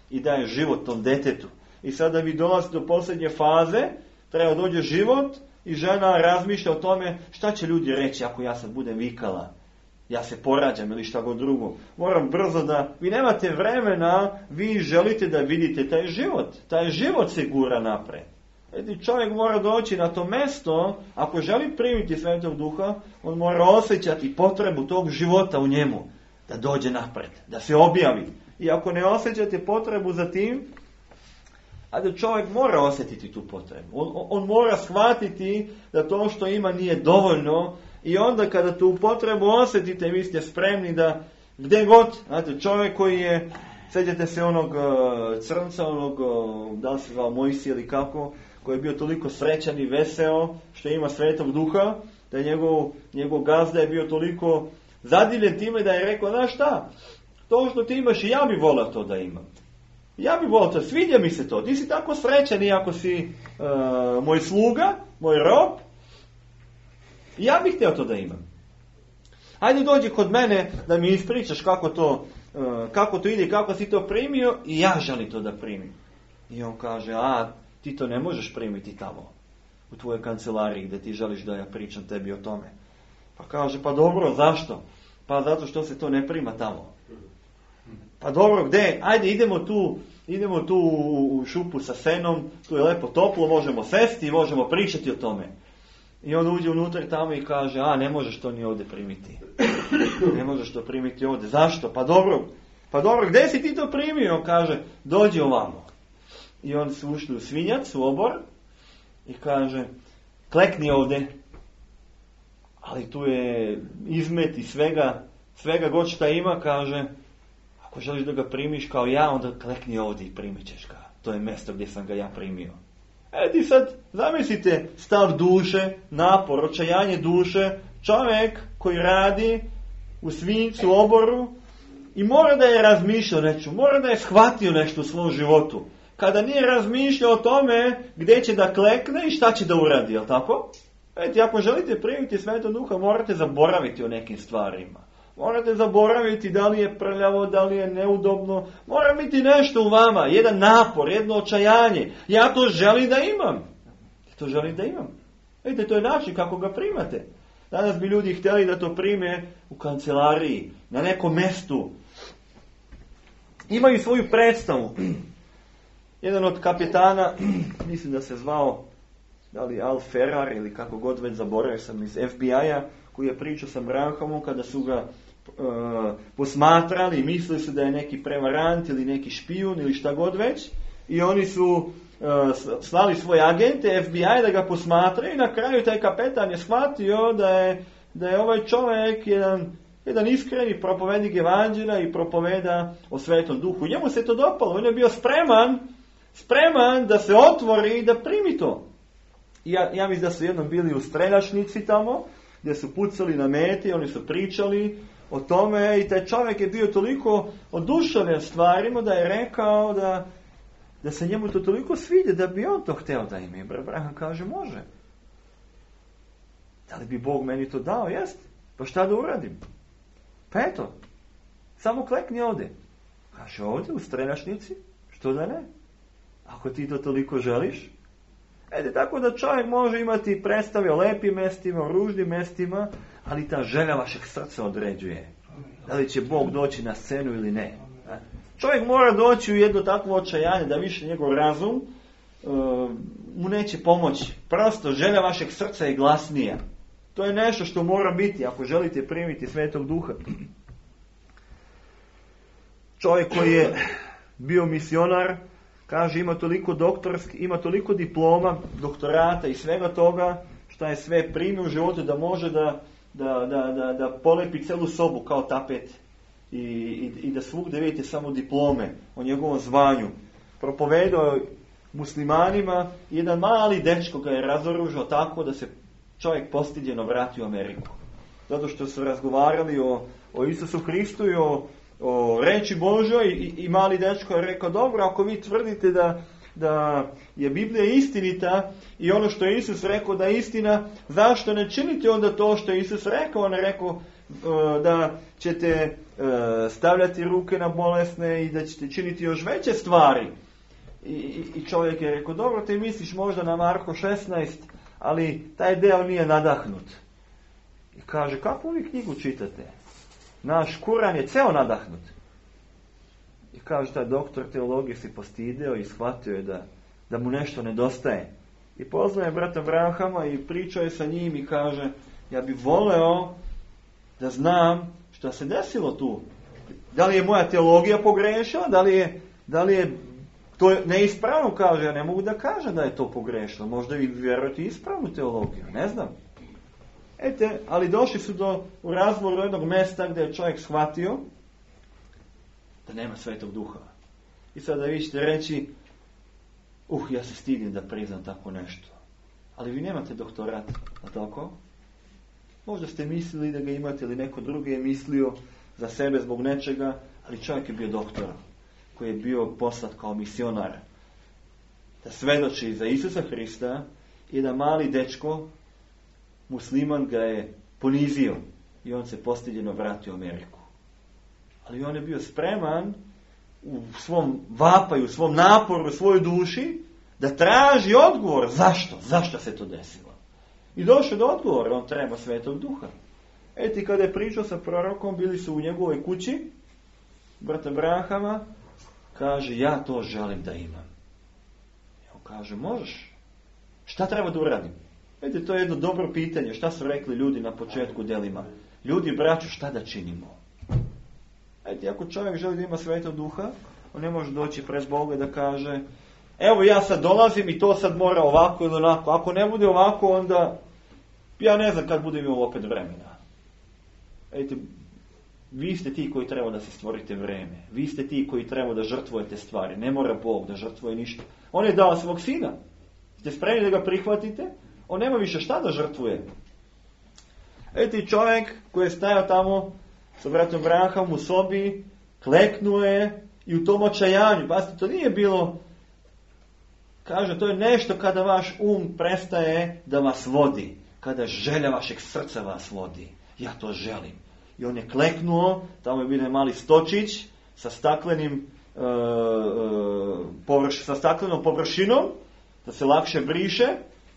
i daje život tom detetu. I sada vi dolazite do posljednje faze, treba dođe život i žena razmišlja o tome šta će ljudi reći ako ja sad budem vikala, ja se porađam ili šta god drugo. Moram brzo vi nemate vremena, vi želite da vidite taj život se gura napred. Čovjek mora doći na to mjesto, ako želi primiti Svetog Duha, on mora osjećati potrebu tog života u njemu, da dođe napred, da se objavi. I ako ne osjećate potrebu za tim, čovjek mora osjetiti tu potrebu. On mora shvatiti da to što ima nije dovoljno, i onda kada tu potrebu osjetite, vi ste spremni da gdje god, čovjek koji je, sjećate se onog crnca, da li se zvao Mojsije ili kako, koji je bio toliko srećan i veseo što ima Svetog Duha, da je njegov gazda je bio toliko zadivljen time da je rekao, znaš šta, to što ti imaš i ja bi volio to da imam. Ja bi volio to, sviđa mi se to, ti si tako srećan iako si moj sluga, moj rob, i ja bih htio to da imam. Hajde dođi kod mene da mi ispričaš kako to ide, kako si to primio, i ja želim to da primim. I on kaže, ti to ne možeš primiti tamo, u tvojoj kancelariji gdje ti želiš da ja pričam tebi o tome. Pa kaže, pa dobro, zašto? Pa zato što se to ne prima tamo. Pa dobro, gdje? Ajde, idemo tu u šupu sa senom, tu je lepo toplo, možemo sesti i možemo pričati o tome. I on uđe unutra tamo i kaže, ne možeš to ni ovdje primiti. Ne možeš to primiti ovdje. Zašto? Pa dobro, gdje si ti to primio? On kaže, dođi ovamo. I on su ušli u svinjac, u obor, i kaže, klekni ovdje. Ali tu je izmet i svega god šta ima, kaže, ako želiš da ga primiš kao ja, onda klekni ovdje i primit ćeš ga. To je mjesto gdje sam ga ja primio. Ti sad zamislite stav duše, napor, očajanje duše, čovjek koji radi u svinjcu, u oboru, i mora da je razmišljao nešto, mora da je shvatio nešto u svom životu. Kada nije razmišljao o tome gdje će da klekne i šta će da uradi, jel tako? Ako želite primiti Svetog Duha, morate zaboraviti o nekim stvarima. Morate zaboraviti da li je prljavo, da li je neudobno. Mora biti nešto u vama, jedan napor, jedno očajanje. Ja to želim da imam. To želim da imam. To je način kako ga primate. Danas bi ljudi htjeli da to prime u kancelariji, na nekom mjestu. Imaju svoju predstavu. Jedan od kapetana, mislim da se zvao, da li Al Ferrar ili kako god već, zaboravio sam, iz FBI-a, koji je pričao sa Branhamom kada su ga posmatrali i mislili su da je neki prevarant ili neki špijun ili šta god već, i oni su slali svoje agente FBI da ga posmatraju, i na kraju taj kapetan je shvatio da je ovaj čovjek jedan iskreni propovednik evanđelja i propoveda o Svetom Duhu. Njemu se to dopalo, on je bio spreman da se otvori i da primi to. Ja mislim da su jednom bili u streljačnici tamo, gdje su pucali na meti, oni su pričali o tome, i taj čovjek je bio toliko oduševljen stvarima da je rekao da se njemu to toliko sviđa da bi on to htio da ima. I Branham kaže, može. Da li bi Bog meni to dao? Jest. Pa šta da uradim? Pa eto, samo klekni ovdje. Kaže, ovdje u streljačnici? Što da ne? Ako ti to toliko želiš. Tako da čovjek može imati predstave o lepim mestima, o ružnim mestima, ali ta želja vašeg srca određuje. Da li će Bog doći na scenu ili ne. Čovjek mora doći u jedno takvo očajanje da više njegov razum mu neće pomoći. Prosto želja vašeg srca je glasnija. To je nešto što mora biti ako želite primiti Svetog Duha. Čovjek koji je bio misionar, kaže, ima toliko diploma, doktorata i svega toga što je sve primio u životu da može da polepi celu sobu kao tapet i da svugdje vidite samo diplome o njegovom zvanju. Propovedao muslimanima, jedan mali dečko ga je razoružao tako da se čovjek postiđeno vratio u Ameriku. Zato što su razgovarali o Isusu Hristu i o reči Božoj, i mali dečko je rekao, dobro, ako vi tvrdite da je Biblija istinita i ono što je Isus rekao da je istina, zašto ne činite onda to što je Isus rekao? On je rekao da ćete stavljati ruke na bolesne i da ćete činiti još veće stvari. I čovjek je rekao, dobro, ti misliš možda na Marko 16, ali taj deo nije nadahnut. I kaže, kakvu vi knjigu čitate? Naš Kuran je ceo nadahnut. I kaže, taj doktor teologije se postidio i shvatio je da mu nešto nedostaje. I poznaje brata Branhama i pričao je sa njim i kaže, ja bi voleo da znam što se desilo tu. Da li je moja teologija pogrešila? Da li je to neispravno? Kaže, ja ne mogu da kažem da je to pogrešilo. Možda vi vjerujete ispravnu teologiju, ne znam. Ali došli su u razvoru jednog mjesta gdje je čovjek shvatio da nema Svetog Duha. I sada vi ćete reći, ja se stidim da priznam tako nešto. Ali vi nemate doktorat, a tako? Možda ste mislili da ga imate, ili neko drugi je mislio za sebe zbog nečega, ali čovjek je bio doktor, koji je bio poslat kao misionar da svedoči za Isusa Hrista, i da mali dečko, musliman, ga je ponizio i on se postiđeno vratio u Ameriku. Ali on je bio spreman u svom vapaju, u svom naporu, u svojoj duši da traži odgovor zašto se to desilo. I došao do odgovora, on treba Svetog Duha. Kada je pričao sa prorokom, bili su u njegovoj kući, brata Branhama, kaže, ja to želim da imam. I on kaže, možeš. Šta treba da uradim? To je jedno dobro pitanje. Šta su rekli ljudi na početku delima? Ljudi, braćo, šta da činimo? Ako čovjek želi da ima Svetog Duha, on ne može doći pred Boga da kaže, evo ja sad dolazim i to sad mora ovako ili onako. Ako ne bude ovako, onda ja ne znam kad budem imao opet vremena. Vi ste ti koji treba da se stvorite vreme. Vi ste ti koji treba da žrtvujete stvari. Ne mora Bog da žrtvuje ništa. On je dao svog sina. Ste spremni da ga prihvatite? On nema više šta da žrtvuje. Čovjek koji je stajao tamo sa bratom Branhamom u sobi, kleknuo je i u tom očajanju. Pazite, to nije bilo, kaže, to je nešto kada vaš prestaje da vas vodi. Kada želja vašeg srca vas vodi. Ja to želim. I on je kleknuo, tamo je bio mali stočić sa staklenim sa staklenom površinom, da se lakše briše,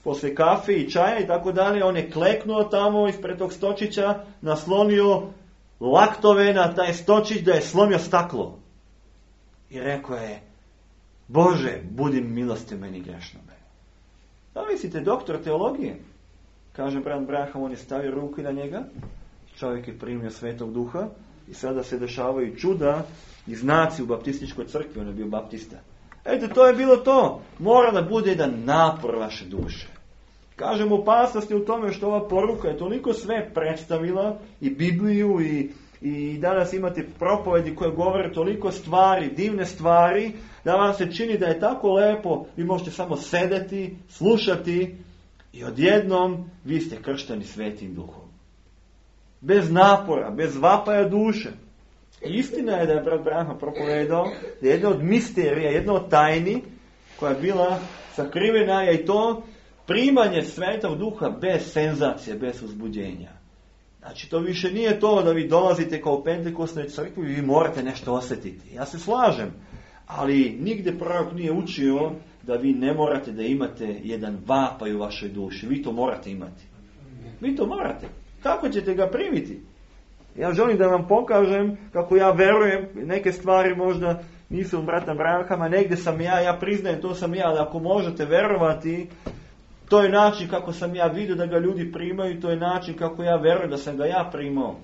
posle kafe i čaja i tako dalje. On je kleknuo tamo ispred tog stočića, naslonio laktove na taj stočić da je slomio staklo. I rekao je, Bože, budi milostiv meni grešnome. Da mislite, doktor teologije? Kaže brat Branham, on je stavio ruku na njega. čovjek je primio Svetog Duha i sada se dešavaju čuda i znaci u baptističkoj crkvi, on je bio baptista. Eto, to je bilo to. Mora da bude jedan napor vaše duše. Kažem, opasnost je u tome što ova poruka je toliko sve predstavila, i Bibliju, i danas imate propovedi koje govore toliko stvari, divne stvari, da vam se čini da je tako lepo, vi možete samo sedeti, slušati i odjednom vi ste kršteni Svetim Duhom. Bez napora, bez vapaja duše. Istina je da je brat Branham propovedao da je jedna od misterija, jedna od tajni koja je bila sakrivena je i to primanje Svetog Duha bez senzacije, bez uzbuđenja. Znači, to više nije to da vi dolazite kao u Pentekostnoj crkvi i vi morate nešto osjetiti. Ja se slažem, ali nigdje prorok nije učio da vi ne morate da imate jedan vapaj u vašoj duši. Vi to morate imati. Vi to morate. Kako ćete ga primiti? Ja želim da vam pokažem kako ja verujem, neke stvari možda nisu od brata Branhama, negdje sam ja priznajem, to sam ja, ali ako možete verovati, to je način kako sam ja vidio da ga ljudi primaju, to je način kako ja verujem da sam ga ja primao.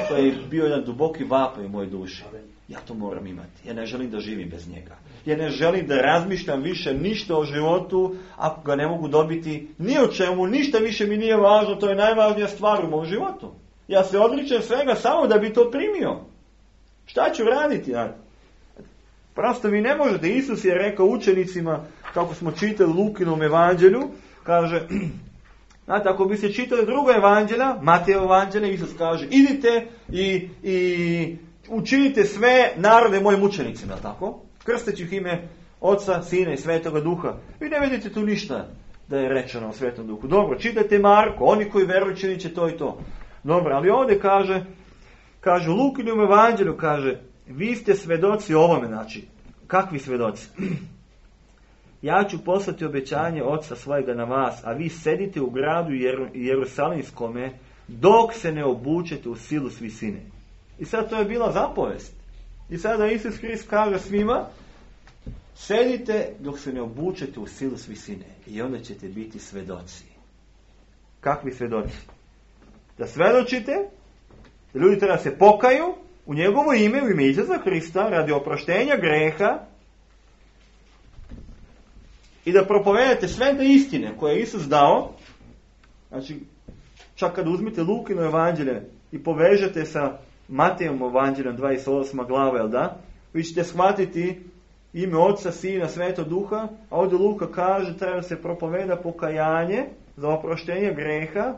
To je bio jedan duboki vapaj u mojoj duši. Ja to moram imati. Ja ne želim da živim bez njega. Ja ne želim da razmišljam više ništa o životu ako ga ne mogu dobiti ni o čemu, ništa više mi nije važno, to je najvažnija stvar u mom životu. Ja se odričem svega samo da bi to primio. Šta ću raditi? Prosto vi ne možete. Isus je rekao učenicima, kako smo čitali u Lukinom evanđelju, kaže, znate, ako bi se čitali druga evanđelja, Matejevo evanđelje, Isus kaže, idite i učinite sve narode mojim učenicima, tako? Krsteći ih ime Oca, Sina i Svetoga Duha. Vi ne vidite tu ništa da je rečeno o Svetom Duhu. Dobro, čitajte Marko, oni koji veruju činit će to i to. Dobro, ali ovdje kaže u Lukinom evanđelju, kaže, vi ste svedoci ovome, znači, kakvi svedoci? Ja ću poslati obećanje Oca svojega na vas, a vi sedite u gradu Jerusalimskome dok se ne obučete u silu s visine. I sad to je bila zapovest. I sada Isus Hrist kaže svima, sedite dok se ne obučete u silu s visine. I onda ćete biti svedoci. Kakvi svedoci? Da svedočite, da ljudi treba se pokaju u njegovo ime, u ime Isusa Hrista, radi oproštenja greha, i da propovedate sve te istine koje je Isus dao. Znači, čak kad uzmite Lukino evanđelje i povežete sa Matejevom evanđeljom 28. glava, jel da? Vi ćete shvatiti ime Oca, Sina, Svetog Duha, a ovdje Luka kaže treba se propoveda pokajanje za oproštenje greha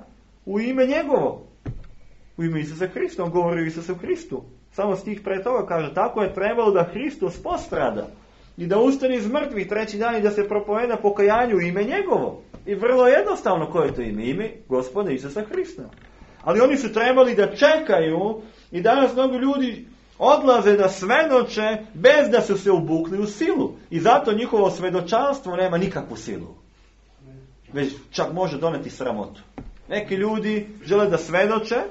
u ime njegovo. U ime Isusa Hrista, on govori o Isusu Hristu. Samo stih pre toga kaže, tako je trebalo da Hristos postrada i da ustane iz mrtvih treći dan i da se propoveda pokajanju u ime njegovo. I vrlo jednostavno koje je to ime? Ime Gospoda Isusa Hrista. Ali oni su trebali da čekaju i danas mnogo ljudi odlaze da svedoče bez da su se ubukli u silu. I zato njihovo svedočanstvo nema nikakvu silu. Već čak može doneti sramotu. Neki ljudi žele da svedoče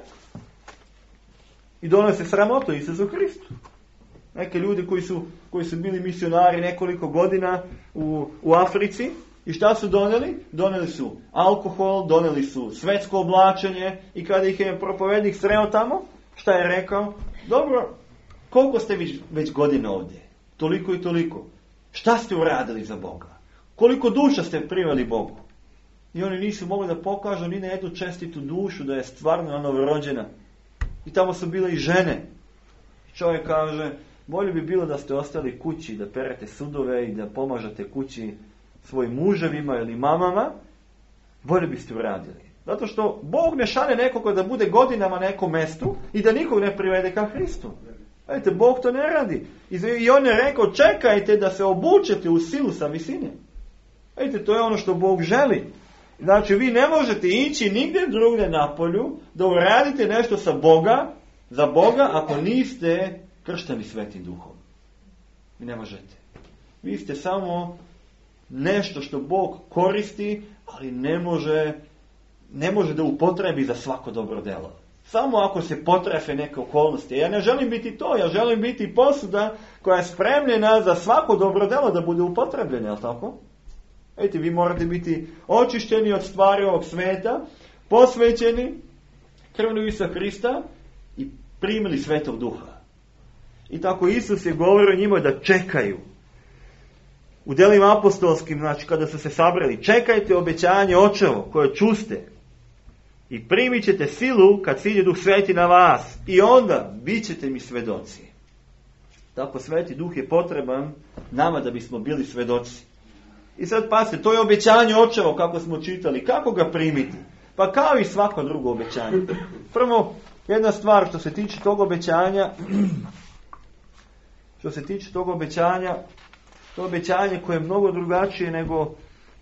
i donose sramotu Isusu Hristu. Neki ljudi koji su bili misionari nekoliko godina u Africi, i šta su doneli? Doneli su alkohol, doneli su svetsko oblačenje, i kada ih je propovednik sreo tamo, šta je rekao? Dobro, koliko ste već godina ovdje? Toliko i toliko. Šta ste uradili za Boga? Koliko duša ste priveli Bogu? I oni nisu mogli da pokažu ni na jednu čestitu dušu da je stvarno novorođena. I tamo su bile i žene. Čovjek kaže, bolje bi bilo da ste ostali kući, da perete sudove i da pomažete kući svojim muževima ili mamama, bolje biste uradili. Zato što Bog ne šalje nekoga da bude godinama na nekom mestu i da nikog ne privede ka Hristu. Vidite, Bog to ne radi. I on je rekao, čekajte da se obučete u silu sa visine. Vidite, to je ono što Bog želi. Znači, vi ne možete ići nigdje drugdje na polju da uradite nešto za Boga, ako niste kršteni Svetim Duhom. Vi ne možete. Vi ste samo nešto što Bog koristi, ali ne može da upotrebi za svako dobro delo. Samo ako se potrefe neke okolnosti. Ja ne želim biti to, ja želim biti posuda koja je spremljena za svako dobro delo da bude upotrebljena, jel tako? Vi morate biti očišćeni od stvari ovog sveta, posvećeni, krvlju Isusa Krista i primili Svetog Duha. I tako Isus je govorio njima da čekaju. U djelima apostolskim, znači kada su se sabrali, čekajte obećanje Očevo koje čuste i primit ćete silu kad siđe Duh Sveti na vas i onda bit ćete mi svedoci. Tako Sveti Duh je potreban nama da bismo bili svedoci. I sad pazite, to je obećanje Očevo kako smo čitali. Kako ga primiti? Pa kao i svako drugo obećanje. Prvo, jedna stvar što se tiče tog obećanja, to obećanje koje je mnogo drugačije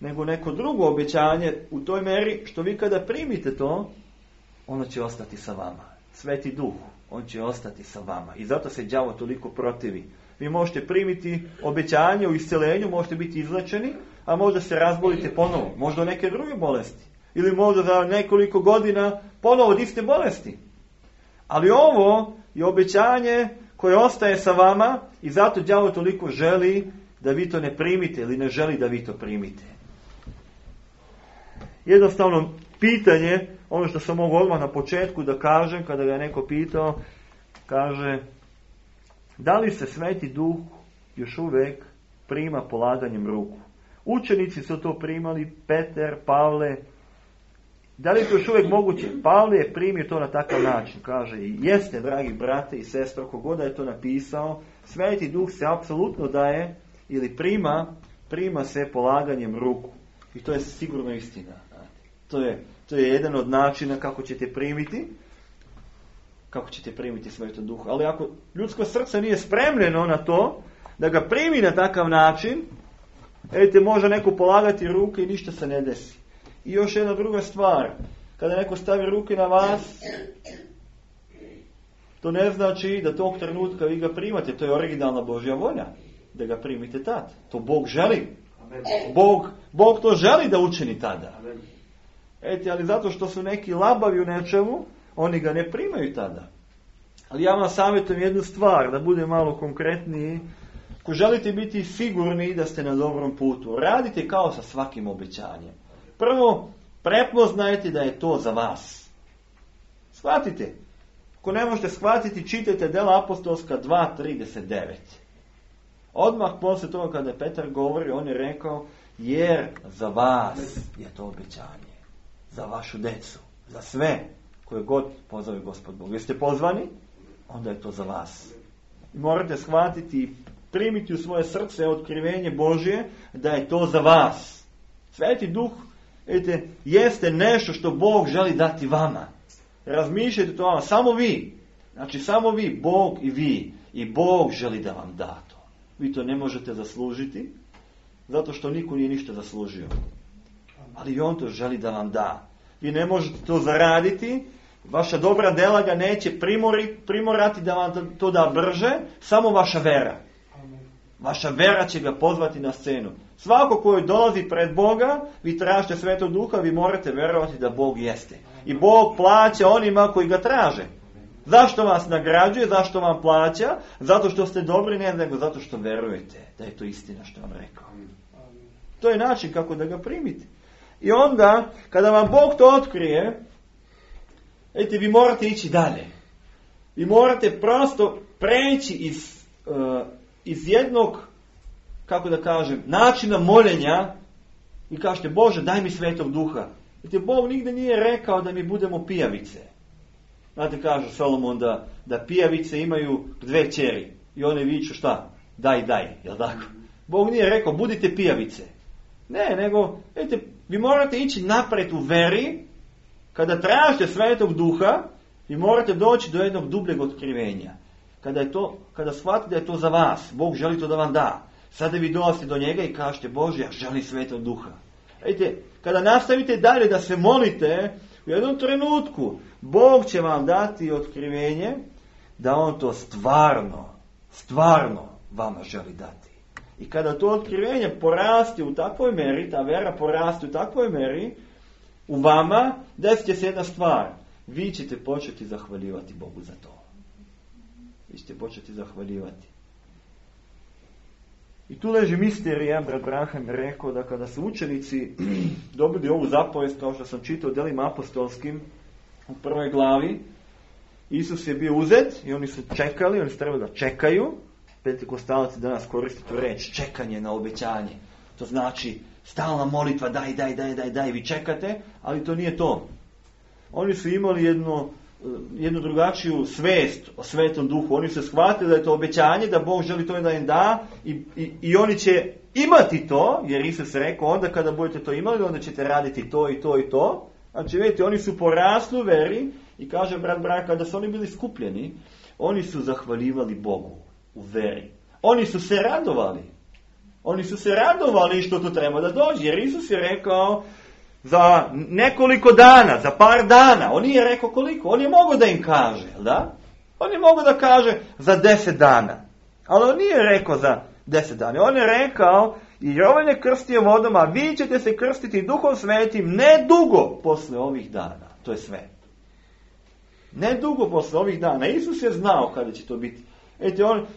nego neko drugo obećanje u toj meri što vi kada primite to, ono će ostati sa vama. Sveti Duh, on će ostati sa vama. I zato se đavo toliko protivi. Vi možete primiti obećanje u isceljenju, možete biti izlečeni, a možda se razbolite ponovo. Možda neke druge bolesti. Ili možda za nekoliko godina ponovo od iste bolesti. Ali ovo je obećanje koje ostaje sa vama i zato đavo toliko želi da vi to ne primite ili ne želi da vi to primite. Jednostavno pitanje, ono što sam mogu odmah na početku da kažem, kada ga je neko pitao, kaže, da li se Sveti Duh još uvijek prima polaganjem ruku? Učenici su to primali, Petar, Pavle. Da li je to još uvijek moguće? Pavle je primio to na takav način. Kaže, jeste, dragi brate i sestre, kogoda je to napisao, Sveti Duh se apsolutno daje ili prima se polaganjem ruku. I to je sigurno istina. To je jedan od načina kako ćete primiti Svetog Duha. Ali ako ljudsko srce nije spremljeno na to, da ga primi na takav način, može neko polagati ruke i ništa se ne desi. I još jedna druga stvar, kada neko stavi ruke na vas, to ne znači da tog trenutka vi ga primate, to je originalna Božja volja, da ga primite tad. To Bog želi. Bog to želi da učini tada. Ali zato što su neki labavi u nečemu, oni ga ne primaju tada. Ali ja vam savjetujem jednu stvar, da bude malo konkretniji. Ako želite biti sigurni da ste na dobrom putu, radite kao sa svakim obećanjem. Prvo, prepoznajte da je to za vas. Shvatite. Ako ne možete shvatiti, čitajte Dela apostolska 2:39. Odmah poslije toga kada je Petar govori, on je rekao, jer za vas je to obećanje. Za vašu decu. Za sve koje god pozove Gospod Bog. Jeste pozvani? Onda je to za vas. I morate shvatiti i primiti u svoje srce otkrivenje Božje da je to za vas. Sveti Duh, jeste nešto što Bog želi dati vama. Razmišljajte to vama. Samo vi. Znači samo vi, Bog i vi. I Bog želi da vam da to. Vi to ne možete zaslužiti, zato što niko nije ništa zaslužio. Ali on to želi da vam da. Vi ne možete to zaraditi, vaša dobra dela ga neće primorati da vam to da brže, samo vaša vera. Vaša vera će ga pozvati na scenu. Svako koji dolazi pred Boga, vi tražite Svetog Duha, vi morate verovati da Bog jeste. I Bog plaća onima koji ga traže. Zašto vas nagrađuje, zašto vam plaća? Zato što ste dobri, ne nego zato što verujete da je to istina što vam rekao. To je način kako da ga primite. I onda, kada vam Bog to otkrije, vi morate ići dalje. Vi morate prosto preći iz jednog, kako da kažem, načina moljenja i kažete, Bože, daj mi Svetog Duha. Bog nigde nije rekao da mi budemo pijavice. Znate, kaže Solomon da pijavice imaju 2 kćeri i one viču šta? Daj, jel tako? Bog nije rekao, budite pijavice. Ne, nego, vi morate ići napred u veri, kada tražite Svetog Duha, vi morate doći do jednog dubljeg otkrivenja. Kada shvatite da je to za vas, Bog želi to da vam da. Sada vi dolazite do njega i kažete, Bože, ja želim Svetog Duha. Kada nastavite dalje da se molite, u jednom trenutku Bog će vam dati otkrivenje da on to stvarno vama želi dati. I kada to otkrivenje porasti u takvoj meri, ta vera porasti u takvoj meri, u vama, desit će se jedna stvar. Vi ćete početi zahvaljivati Bogu za to. Vi ćete početi zahvaljivati. I tu leži misterija, brat Branham je rekao da kada su učenici dobili ovu zapovest, kao što sam čitao u Delima apostolskim, u prvoj glavi, Isus je bio uzet i oni su čekali, oni su trebali da čekaju. Pentekostalci danas koriste tu reč čekanje na obećanje. To znači stalna molitva, daj, vi čekate, ali to nije to. Oni su imali jednu drugačiju svest o Svetom Duhu. Oni su shvatili da je to obećanje, da Bog želi to da im da i oni će imati to, jer Isus je rekao, onda kada budete to imali, onda ćete raditi to i to i to. Znači, vidite, oni su porasli u veri i kaže brat Branka, da su oni bili skupljeni, oni su zahvaljivali Bogu u veri. Oni su se radovali. Oni su se radovali što to treba da dođe, jer Isus je rekao za nekoliko dana, za par dana. On nije rekao koliko, on je mogao da im kaže, da? On je mogao da kaže za 10 dana. Ali on nije rekao za 10 dana. On je rekao, i Jovan je krstio vodom, a vi ćete se krstiti Duhom Svetim ne dugo posle ovih dana. To je sve. Ne dugo posle ovih dana. Isus je znao kada će to biti.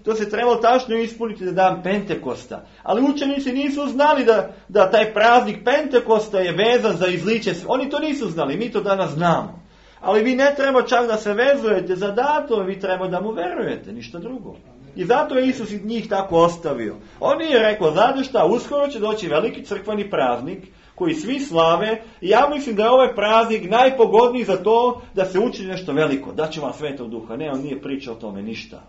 To se trebalo tačno ispuniti za dan Pentekosta. Ali učenici nisu znali da taj praznik Pentekosta je vezan za izliće. Oni to nisu znali, mi to danas znamo. Ali vi ne treba čak da se vezujete za datum, vi treba da mu verujete, ništa drugo. I zato je Isus njih tako ostavio. On nije rekao, znate šta, uskoro će doći veliki crkveni praznik koji svi slave i ja mislim da je ovaj praznik najpogodniji za to da se učini nešto veliko. Daće vam Svetog Duha. Ne, on nije pričao o tome ništa.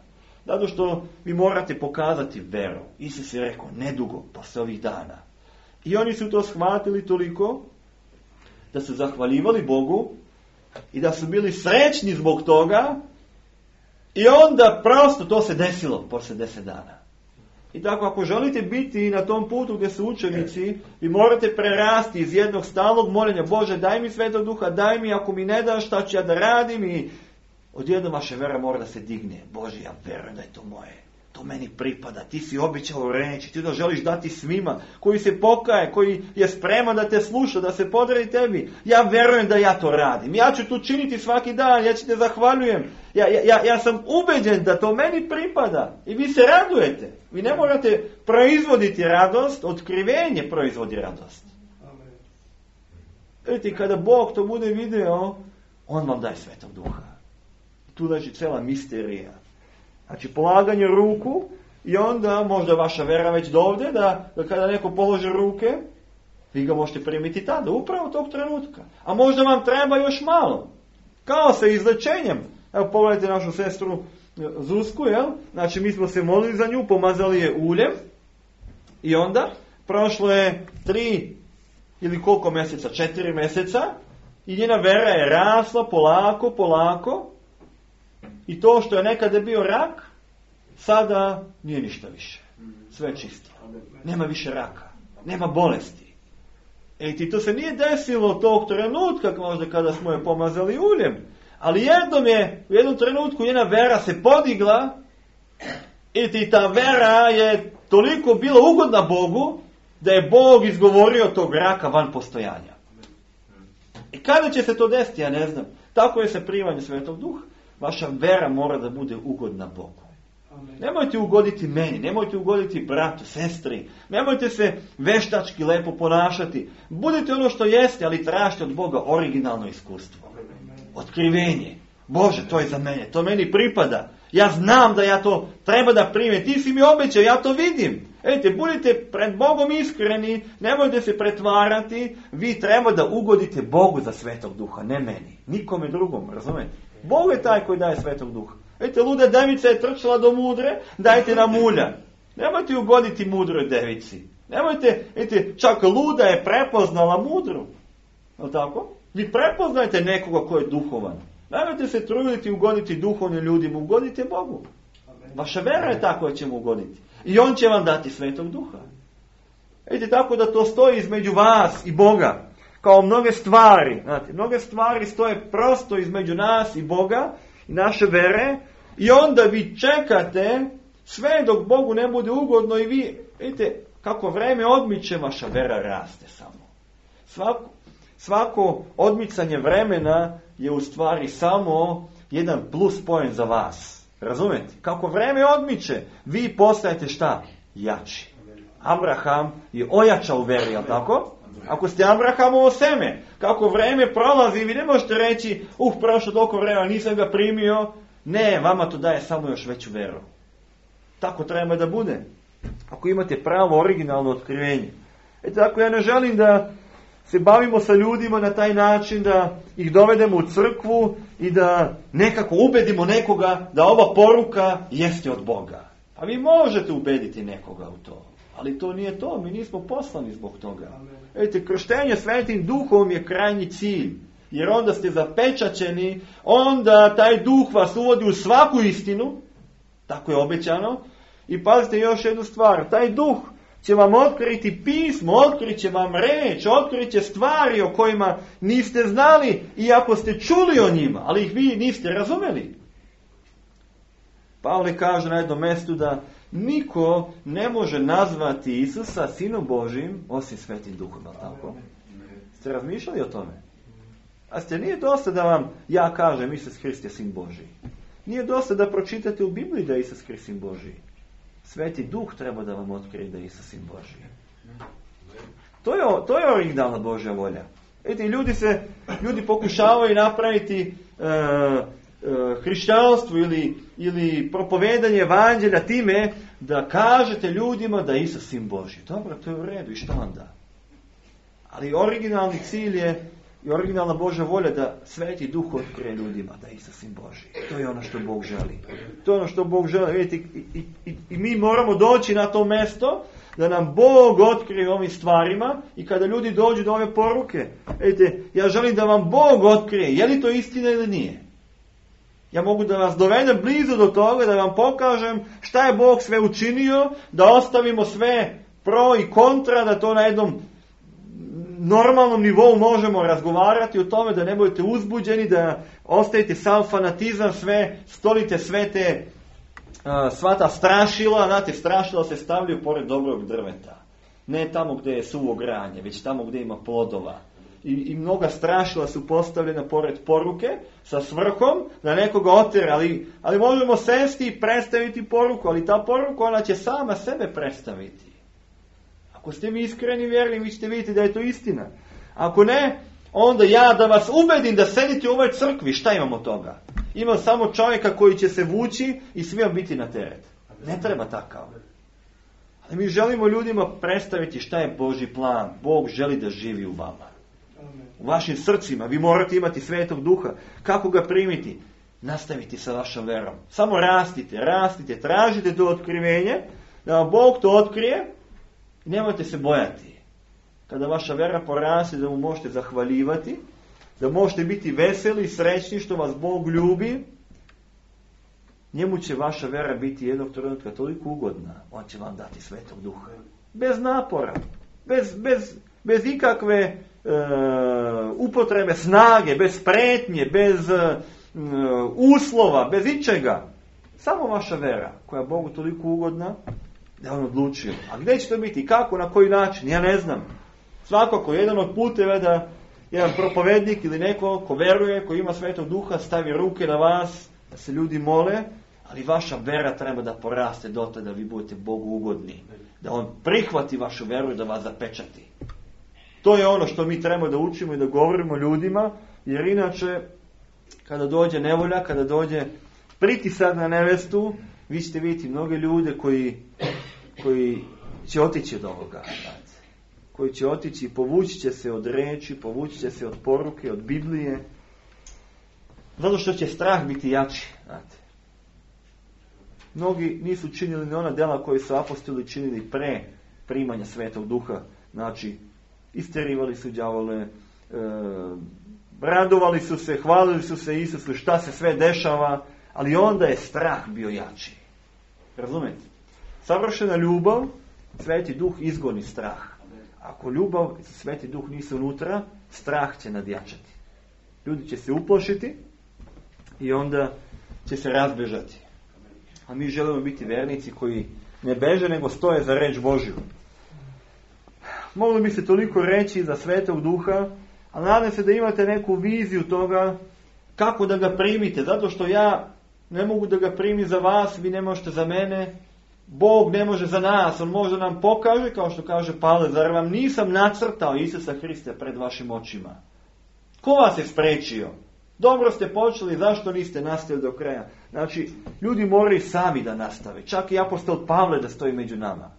Zato što vi morate pokazati veru. Isus je rekao, nedugo, posle ovih dana. I oni su to shvatili toliko da su zahvaljivali Bogu i da su bili srećni zbog toga i onda prosto to se desilo posle 10 dana. I tako ako želite biti na tom putu gdje su učenici, vi morate prerasti iz jednog stalnog moljenja, Bože daj mi Svetog Duha, daj mi, ako mi ne daš šta ću ja da radim, i odjednom vaša vera mora da se digne. Bože, ja verujem da je to moje. To meni pripada. Ti si obećao reći. Ti to želiš dati svima. Koji se pokaje. Koji je spreman da te sluša. Da se podredi tebi. Ja verujem da ja to radim. Ja ću to činiti svaki dan. Ja ću te zahvaljujem. Ja sam ubeđen da to meni pripada. I vi se radujete. Vi ne morate proizvoditi radost. Otkrivenje proizvodi radost. Vidite, kada Bog to bude video, on vam daje Svetog Duha. Tu leži cela misterija. Znači, polaganje ruku i onda možda vaša vera već dovde, da kada neko položi ruke, vi ga možete primiti tada, upravo tog trenutka. A možda vam treba još malo. Kao sa izlečenjem. Evo, pogledajte našu sestru Zusku, jel? Znači, mi smo se molili za nju, pomazali je uljem i onda prošlo je 3 ili koliko mjeseca, 4 mjeseca i njena vera je rasla polako. I to što je nekada bio rak, sada nije ništa više. Sve čisto. Nema više raka. Nema bolesti. I to se nije desilo tog trenutka, možda kada smo je pomazali uljem. Ali u jednom trenutku njena vera se podigla i ta vera je toliko bila ugodna Bogu da je Bog izgovorio tog raka van postojanja. I kada će se to desiti, ja ne znam. Tako je sa primanjem Svetog Duha. Vaša vera mora da bude ugodna Bogu. Amen. Nemojte ugoditi meni, nemojte ugoditi bratu, sestri, nemojte se veštački lepo ponašati. Budite ono što jeste, ali tražite od Boga originalno iskustvo. Otkrivenje. Bože, to je za mene, to meni pripada. Ja znam da ja to treba da primim. Ti si mi obećao, ja to vidim. Budite pred Bogom iskreni, nemojte se pretvarati. Vi treba da ugodite Bogu za Svetog Duha, ne meni, nikome drugom, razumete? Bog je taj koji daje Svetog Duha. Luda devica je trčala do mudre, dajte nam ulja. Nemojte ugoditi mudroj devici. Nemojte, čak luda je prepoznala mudru. Je tako? Vi prepoznajte nekoga ko je duhovan. Nemojte se truditi ugoditi duhovnim ljudima, ugodite Bogu. Vaša vera je ta koja će mu ugoditi. I on će vam dati Svetog Duha. Tako da to stoji između vas i Boga. Kao mnoge stvari. Znate, mnoge stvari stoje prosto između nas i Boga i naše vere. I onda vi čekate sve dok Bogu ne bude ugodno i vi, vidite, kako vreme odmiče, vaša vera raste samo. Svako odmicanje vremena je u stvari samo jedan plus poen za vas. Razumete? Kako vreme odmiče, vi postajete šta? Jači. Abraham je ojačao u veri, jel tako? Ako ste Abrahamovo seme, kako vreme prolazi, vi ne možete reći, prošlo toliko vremena, nisam ga primio. Ne, vama to daje samo još veću veru. Tako treba da bude. Ako imate pravo originalno otkrivenje. Tako ja ne želim da se bavimo sa ljudima na taj način da ih dovedemo u crkvu i da nekako ubedimo nekoga da ova poruka jeste od Boga. A vi možete ubediti nekoga u to. Ali to nije to, mi nismo poslani zbog toga. Krštenje Svetim Duhom je krajnji cilj. Jer onda ste zapečaćeni, onda taj Duh vas uvodi u svaku istinu, tako je obećano. I pazite još jednu stvar, taj Duh će vam otkriti pismo, otkrit će vam reč, otkrit će stvari o kojima niste znali, iako ste čuli o njima, ali ih vi niste razumeli. Pavle kaže na jednom mjestu da niko ne može nazvati Isusa Sinom Božijim osim Svetim Duhom, tako? Ste razmišljali o tome? A nije dosta da vam ja kažem Isus Hrist je Sin Božiji. Nije dosta da pročitate u Bibliji da je Isus Hrist Sin Božiji. Sveti Duh treba da vam otkrije da je Isus Sin Božiji. To je originalna Božja volja. Ljudi pokušavaju napraviti hrišćanstvo ili propovedanje evanđelja time da kažete ljudima da je Isus Sin Božji. Dobro, to je u redu, i što onda? Ali originalni cilj je i originalna Božja volja da Sveti Duh otkrije ljudima da je Isus Sin Božji. To je ono što Bog želi. To je ono što Bog želi. Vidite, i mi moramo doći na to mjesto da nam Bog otkrije ovim stvarima i kada ljudi dođu do ove poruke, vidite, ja želim da vam Bog otkrije je li to istina ili nije. Ja mogu da vas dovedem blizu do toga, da vam pokažem šta je Bog sve učinio, da ostavimo sve pro i kontra, da to na jednom normalnom nivou možemo razgovarati o tome, da ne budete uzbuđeni, da ostavite sam fanatizam, stolite sve te sva ta strašila. Znate, strašila se stavljaju pored dobrog drveta. Ne tamo gdje je suvo granje, već tamo gdje ima plodova. I mnoga strašila su postavljena pored poruke sa svrhom da nekoga otera, ali možemo sesti i predstaviti poruku, ali ta poruka ona će sama sebe predstaviti. Ako ste mi iskreni vjerni, vi ćete vidjeti da je to istina. Ako ne, onda ja da vas ubedim da sedite u ovoj crkvi, šta imamo od toga? Ima samo čovjeka koji će se vući i svima biti na teret. Ne treba takav. Ali mi želimo ljudima predstaviti šta je Božji plan. Bog želi da živi u vama. U vašim srcima. Vi morate imati Svetog Duha. Kako ga primiti? Nastaviti sa vašom verom. Samo rastite, tražite to otkrivenje, da vam Bog to otkrije. Nemojte se bojati. Kada vaša vera poraste, da mu možete zahvaljivati, da možete biti veseli i srećni što vas Bog ljubi, njemu će vaša vera biti jednog trenutka toliko ugodna, on će vam dati Svetog Duha. Bez napora, bez ikakve upotrebe snage, bez pretnje, bez uslova, bez ičega. Samo vaša vera, koja je Bogu toliko ugodna, da on odlučio. A gdje će to biti? Kako? Na koji način? Ja ne znam. Svakako, jedan od puteva da jedan propovednik ili neko ko veruje, ko ima Svetog Duha, stavi ruke na vas, da se ljudi mole, ali vaša vera treba da poraste dotle da vi budete Bogu ugodni. Da on prihvati vašu veru i da vas zapečati. To je ono što mi trebamo da učimo i da govorimo ljudima, jer inače, kada dođe nevolja, kada dođe pritisak na nevestu, vi ćete vidjeti mnoge ljude koji će otići od ovoga. Koji će otići i povući će se od reči, povući će se od poruke, od Biblije. Zato što će strah biti jači. Znate. Mnogi nisu činili ni ona dela koji su apostoli činili pre primanja Svetog Duha. Znači, isterivali su đavole, radovali su se, hvalili su se Isusu šta se sve dešava, ali onda je strah bio jači. Razumete? Savršena ljubav, Sveti Duh izgoni strah. Ako ljubav i Sveti Duh nisu unutra, strah će nadjačati. Ljudi će se uplašiti i onda će se razbežati. A mi želimo biti vernici koji ne beže, nego stoje za reč Božju. Moglo bi se toliko reći za Svetog Duha, ali nadam se da imate neku viziju toga kako da ga primite. Zato što ja ne mogu da ga primim za vas, vi ne možete za mene. Bog ne može za nas, on može nam pokaže, kao što kaže Pavle, zar vam nisam nacrtao Isusa Hrista pred vašim očima? Ko vas je spriječio? Dobro ste počeli, zašto niste nastavili do kraja? Znači, ljudi moraju sami da nastave. Čak i apostol Pavle da stoji među nama.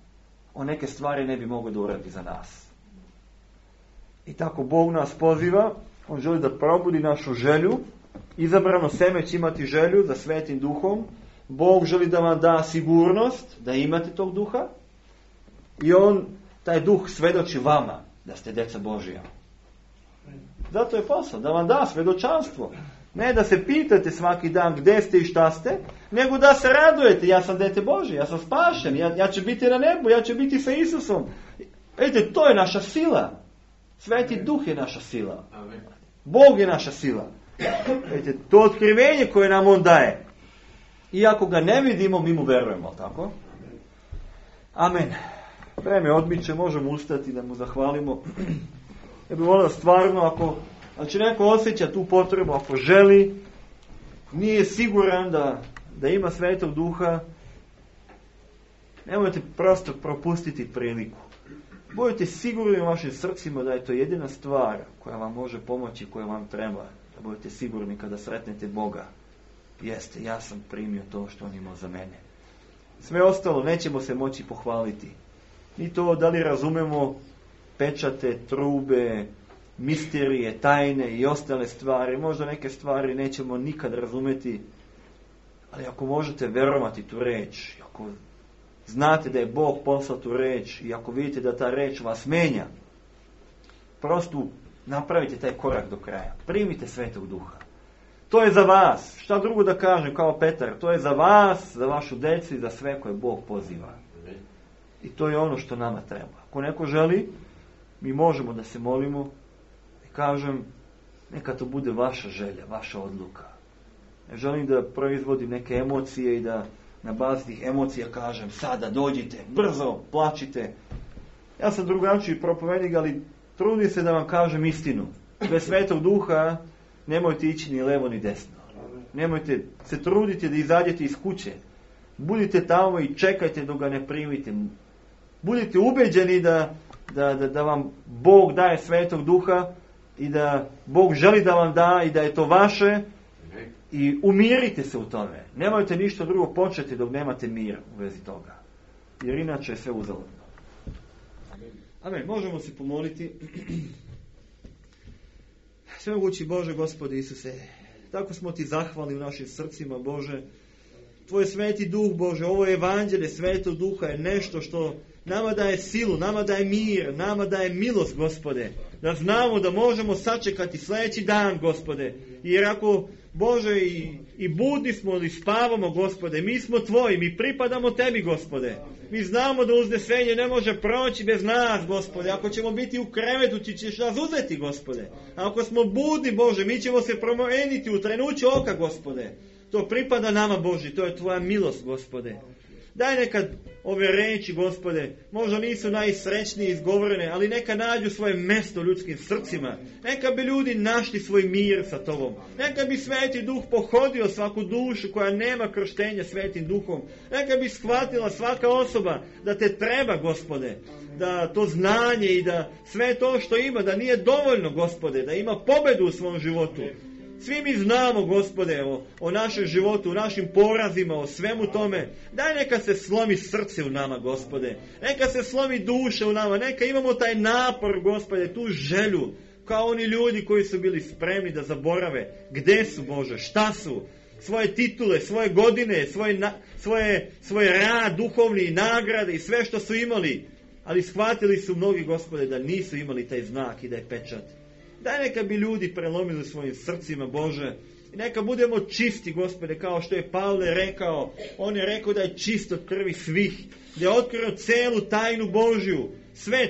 On neke stvari ne bi mogao da uradi za nas. I tako Bog nas poziva, on želi da probudi našu želju. Izabrano seme će imati želju za Svetim Duhom. Bog želi da vam da sigurnost, da imate tog duha. I on, taj duh svedoči vama da ste deca Božija. Zato je posao, da vam da svedočanstvo. Ne da se pitate svaki dan gdje ste i šta ste, nego da se radujete. Ja sam dete Božje, ja sam spašen, ja ću biti na nebu, ja ću biti sa Isusom. Vidite, to je naša sila. Sveti Duh je naša sila. Bog je naša sila. Vidite, to otkrivenje koje nam on daje. Iako ga ne vidimo, mi mu verujemo, tako? Amen. Vreme odmiče, možemo ustati da mu zahvalimo. Ja bih volio stvarno, ako znači neko osjeća tu potrebu, ako želi, nije siguran da ima Svetog Duha, nemojte prosto propustiti priliku. Budite sigurni u vašim srcima da je to jedina stvar koja vam može pomoći, koja vam treba. Da budete sigurni kada sretnete Boga. Jeste, ja sam primio to što on imao za mene. Sve ostalo nećemo se moći pohvaliti. Ni to da li razumemo pečate, trube, misterije, tajne i ostale stvari. Možda neke stvari nećemo nikad razumeti, ali ako možete verovati tu reč, ako znate da je Bog poslao tu reč i ako vidite da ta reč vas menja, prosto napravite taj korak do kraja. Primite Svetog Duha. To je za vas. Šta drugo da kažem kao Petar? To je za vas, za vašu decu i za sve koje Bog poziva. I to je ono što nama treba. Ako neko želi, mi možemo da se molimo i kažem, neka to bude vaša želja, vaša odluka. Ne želim da proizvodim neke emocije i da na bazi tih emocija kažem, sada dođite, brzo, plačite. Ja sam drugačiji propovednik, ali trudim se da vam kažem istinu. Bez Svetog Duha nemojte ići ni levo ni desno. Nemojte se truditi da izađete iz kuće. Budite tamo i čekajte dok ga ne primite. Budite ubeđeni da vam Bog daje Svetog Duha i da Bog želi da vam da i da je to vaše i umirite se u tome. Nemojte ništa drugo početi dok nemate mir u vezi toga. Jer inače je sve uzaludno. Amen. Možemo se pomoliti. Svemogući Bože, Gospode Isuse, tako smo ti zahvalni u našim srcima, Bože. Tvoj Sveti Duh, Bože, ovo evanđelje Svetog Duha je nešto što nama daje silu, nama daje mir, nama daje milost, Gospode. Da znamo da možemo sačekati sljedeći dan, Gospode. Jer ako, Bože, i budni smo ili spavamo, Gospode, mi smo Tvoji, mi pripadamo Tebi, Gospode. Mi znamo da uznesenje ne može proći bez nas, Gospode. Ako ćemo biti u krevetu, ti ćeš nas uzeti, Gospode. A ako smo budni, Bože, mi ćemo se promijeniti u trenuću oka, Gospode. To pripada nama, Bože, to je Tvoja milost, Gospode. Daj nekad ove reči, Gospode, možda nisu najsrećnije izgovorene, ali neka nađu svoje mjesto u ljudskim srcima. Neka bi ljudi našli svoj mir sa Tobom. Neka bi Sveti Duh pohodio svaku dušu koja nema krštenja Svetim Duhom. Neka bi shvatila svaka osoba da Te treba, Gospode. Da to znanje i da sve to što ima, da nije dovoljno, Gospode, da ima pobedu u svom životu. Svi mi znamo, Gospode, o našem životu, o našim porazima, o svemu tome. Daj neka se slomi srce u nama, Gospode. Neka se slomi duša u nama. Neka imamo taj napor, Gospode, tu želju. Kao oni ljudi koji su bili spremni da zaborave. Gde su, Bože? Šta su? Svoje titule, svoje godine, svoj rad, duhovni, nagrade i sve što su imali. Ali shvatili su mnogi, Gospode, da nisu imali taj znak i da je pečat. Daj neka bi ljudi prelomili svojim srcima, Bože. I neka budemo čisti, Gospode, kao što je Pavle rekao. On je rekao da je čist od krvi svih. Da je otkrio celu tajnu Božju.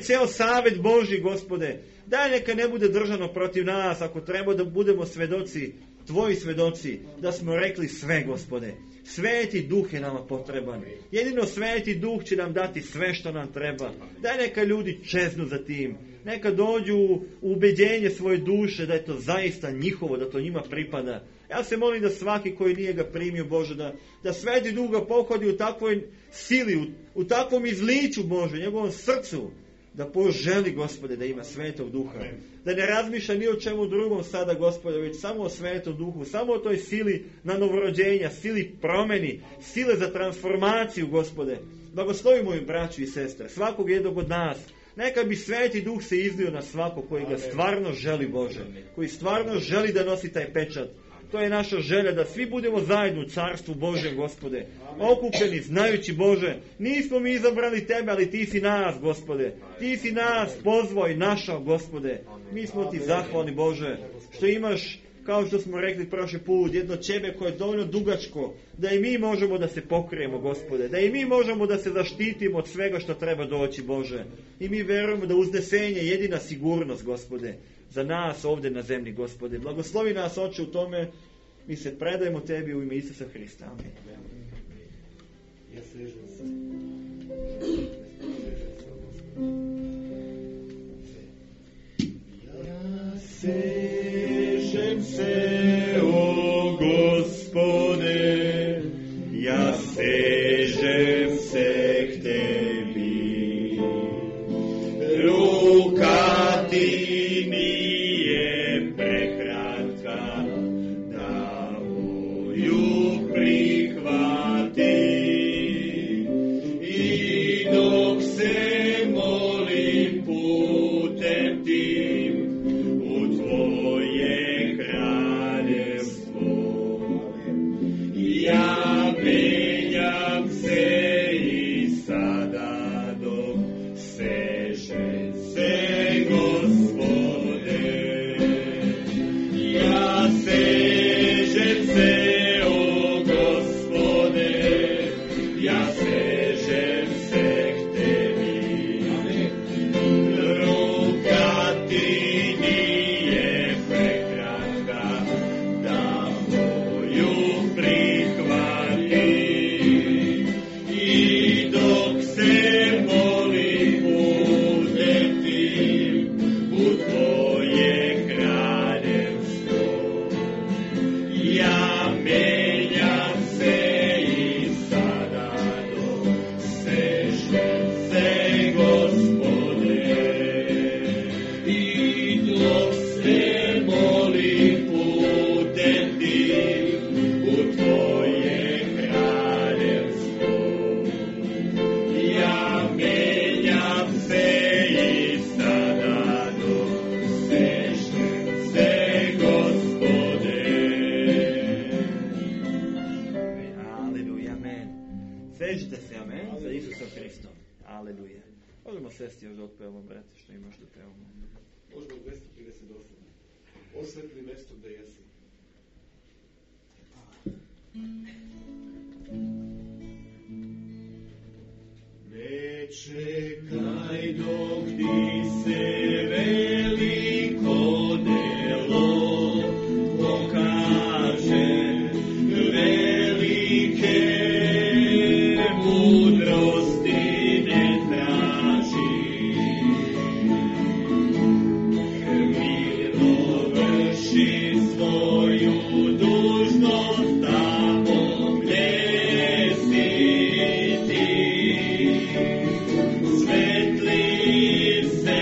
Ceo savjet Božji, Gospode. Daj neka ne bude držano protiv nas, ako treba da budemo svedoci tvoji svedoci da smo rekli sve, Gospode. Sveti Duh je nama potreban. Jedino Sveti Duh će nam dati sve što nam treba. Daj neka ljudi čeznu za tim. Neka dođu u ubeđenje svoje duše da je to zaista njihovo, da to njima pripada. Ja se molim da svaki koji nije ga primio, Bože, da Sveti Duh ga pohodi u takvoj sili, u takvom izliču, Bože, njegovom srcu, da poželi, Gospode, da ima Svetog Duha. Da ne razmišlja ni o čemu drugom sada, Gospode, već samo o Svetom Duhu, samo o toj sili na novorođenja, sili promeni, sile za transformaciju, Gospode. Blagoslovi moju braću i sestre, svakog jednog od nas. Neka bi Sveti Duh se izlio na svakog koji ga stvarno želi, Bože, koji stvarno želi da nosi taj pečat. To je naša želja, da svi budemo zajedno u Carstvu Božjem, Gospode. Okupljeni, znajući, Bože, nismo mi izabrali Tebe, ali Ti si nas, Gospode. Ti si nas pozvao i našao, Gospode. Mi smo Ti zahvalni, Bože, što imaš, kao što smo rekli prošli put, jedno čebe koje je dovoljno dugačko, da i mi možemo da se pokrijemo, Gospode. Da i mi možemo da se zaštitimo od svega što treba doći, Bože. I mi verujemo da uznesenje je jedina sigurnost, Gospode, za nas ovdje na zemlji, Gospode. Blagoslovi nas, Oče, u tome. Mi se predajemo Tebi u ime Isusa Hrista. Amen. Ja sežem se, o Gospode, ja sežem se k Tebi. Ruka Ti nije prekratka, da moju prihvati. I dok se molim putem Tim u Tvoje kraljevstvo, ja menjam se i sada dok seže se, Gospode. Ja sežem se, o Gospode, ja sežem se k Tebi. Ruka Ti nije prekratka, da moju prihvati. I dok se molim putem Tim u Tvoje kraljevstvo, ja menjam se i sada dok sežem se, Gospode. I dok se molim putem Tim u Tvoje kraljevstvo, ja menjam se i sada dok sežem se, Gospode. Aleluja, amen. Sežite se, amen, za Isusom Hristom. Aleluja. Možemo sesti još da otpevamo, brate, što imaš da pevamo. Možemo 238. Osvetli mesto gde jesi. Ne čekaj dok Ti se veliko delo pokaže, velike mudrosti ne traži. Mirno vrši svoju dužnost tamo gdje si Ti. Svetli se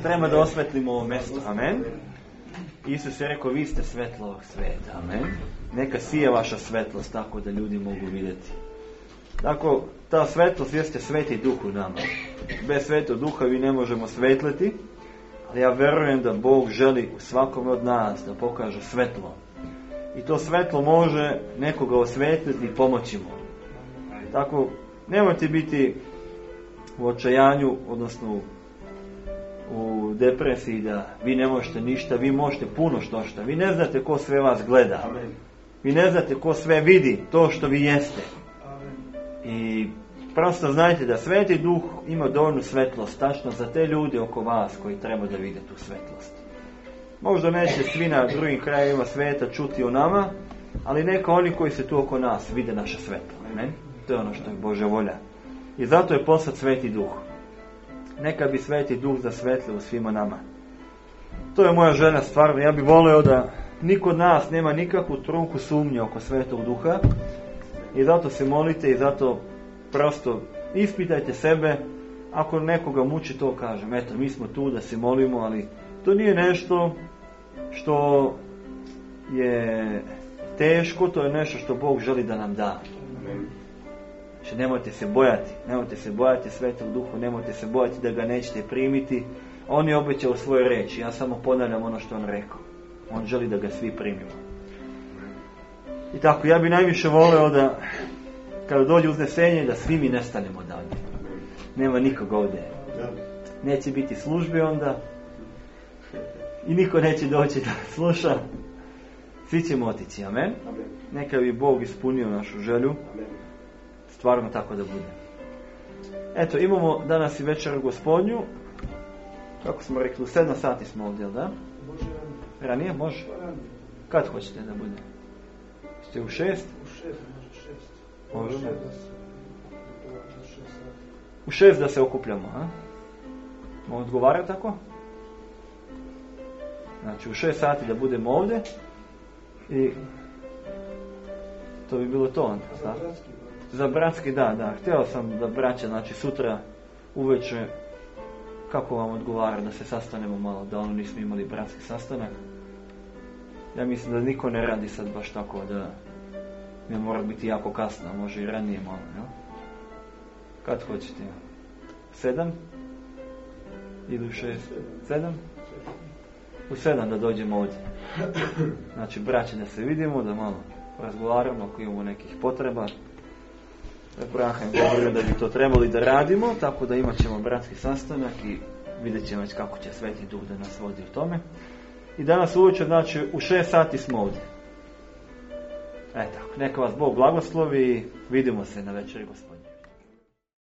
treba da osvetlimo ovo mjesto. Amen. Isus je rekao, vi ste svetlo ovog svijeta. Amen. Neka sije vaša svetlost tako da ljudi mogu vidjeti. Tako, ta svetlost jeste Sveti Duh u nama. Bez Svetog Duha vi ne možemo svetliti, ali ja vjerujem da Bog želi svakom od nas da pokaže svetlo. I to svetlo može nekoga osvetliti i pomoći mu. Tako, nemojte biti u očajanju, odnosno u depresiji da vi ne možete ništa, vi možete puno što. Vi ne znate ko sve vas gleda. Vi ne znate ko sve vidi to što vi jeste. I prosto znajte da Sveti Duh ima dovoljnu svetlost tačno za te ljude oko vas koji treba da vide tu svetlost. Možda neće svi na drugim krajevima svijeta čuti o nama, ali neka oni koji su tu oko nas vide naše svetlo. Amen? To je ono što je Božja volja. I zato je poslat Sveti Duh. Neka bi Sveti Duh zasvetlio u svima nama. To je moja želja stvarno. Ja bih volio da niko od nas nema nikakvu trunku sumnje oko Svetog Duha. I zato se molite i zato prosto ispitajte sebe. Ako nekoga muči, to kažem. Eto, mi smo tu da se molimo, ali to nije nešto što je teško, to je nešto što Bog želi da nam da. Znači, nemojte se bojati Svetog Duha, nemojte se bojati da ga nećete primiti. On je obećao svoje reči, ja samo ponavljam ono što on rekao. On želi da ga svi primimo. I tako, ja bi najviše voleo da kada dođe uznesenje da svi mi nestanemo dalje. Nema nikog ovdje. Neće biti službe onda i niko neće doći da sluša. Svi ćemo otići, amen. Neka bi Bog ispunio našu želju. Stvarno tako da bude. Eto, imamo danas i večeru Gospodnju. Kako smo rekli, u 7 sati smo ovdje, da? Ranije? Može? Kad hoćete da bude? Ste u 6? Može. U 6 da se okupljamo, a? Mogu odgovarati tako? Znači, u 6 sati da budemo ovdje i to bi bilo to onda, da? Za bratski, da. Htio sam da braća, znači sutra uveče, kako vam odgovara da se sastanemo malo, da ono nismo imali bratski sastanak. Ja mislim da niko ne radi sad baš tako da ne mora biti jako kasno, može i ranije malo, ja? Kad hoćete? 7? Ili u 6? 7? U 7 da dođemo ovdje. Znači, braće, da se vidimo, da malo razgovaramo ako imamo nekih potreba. Abraham govorio da bi to trebali da radimo, tako da imat ćemo bratski sastanak i vidjet ćemo već kako će Sveti Duh da nas vodi u tome. I danas uveče, znači, u 6 sati smo ovdje. Eto, neka vas Bog blagoslovi i vidimo se na večeri Gospodnje.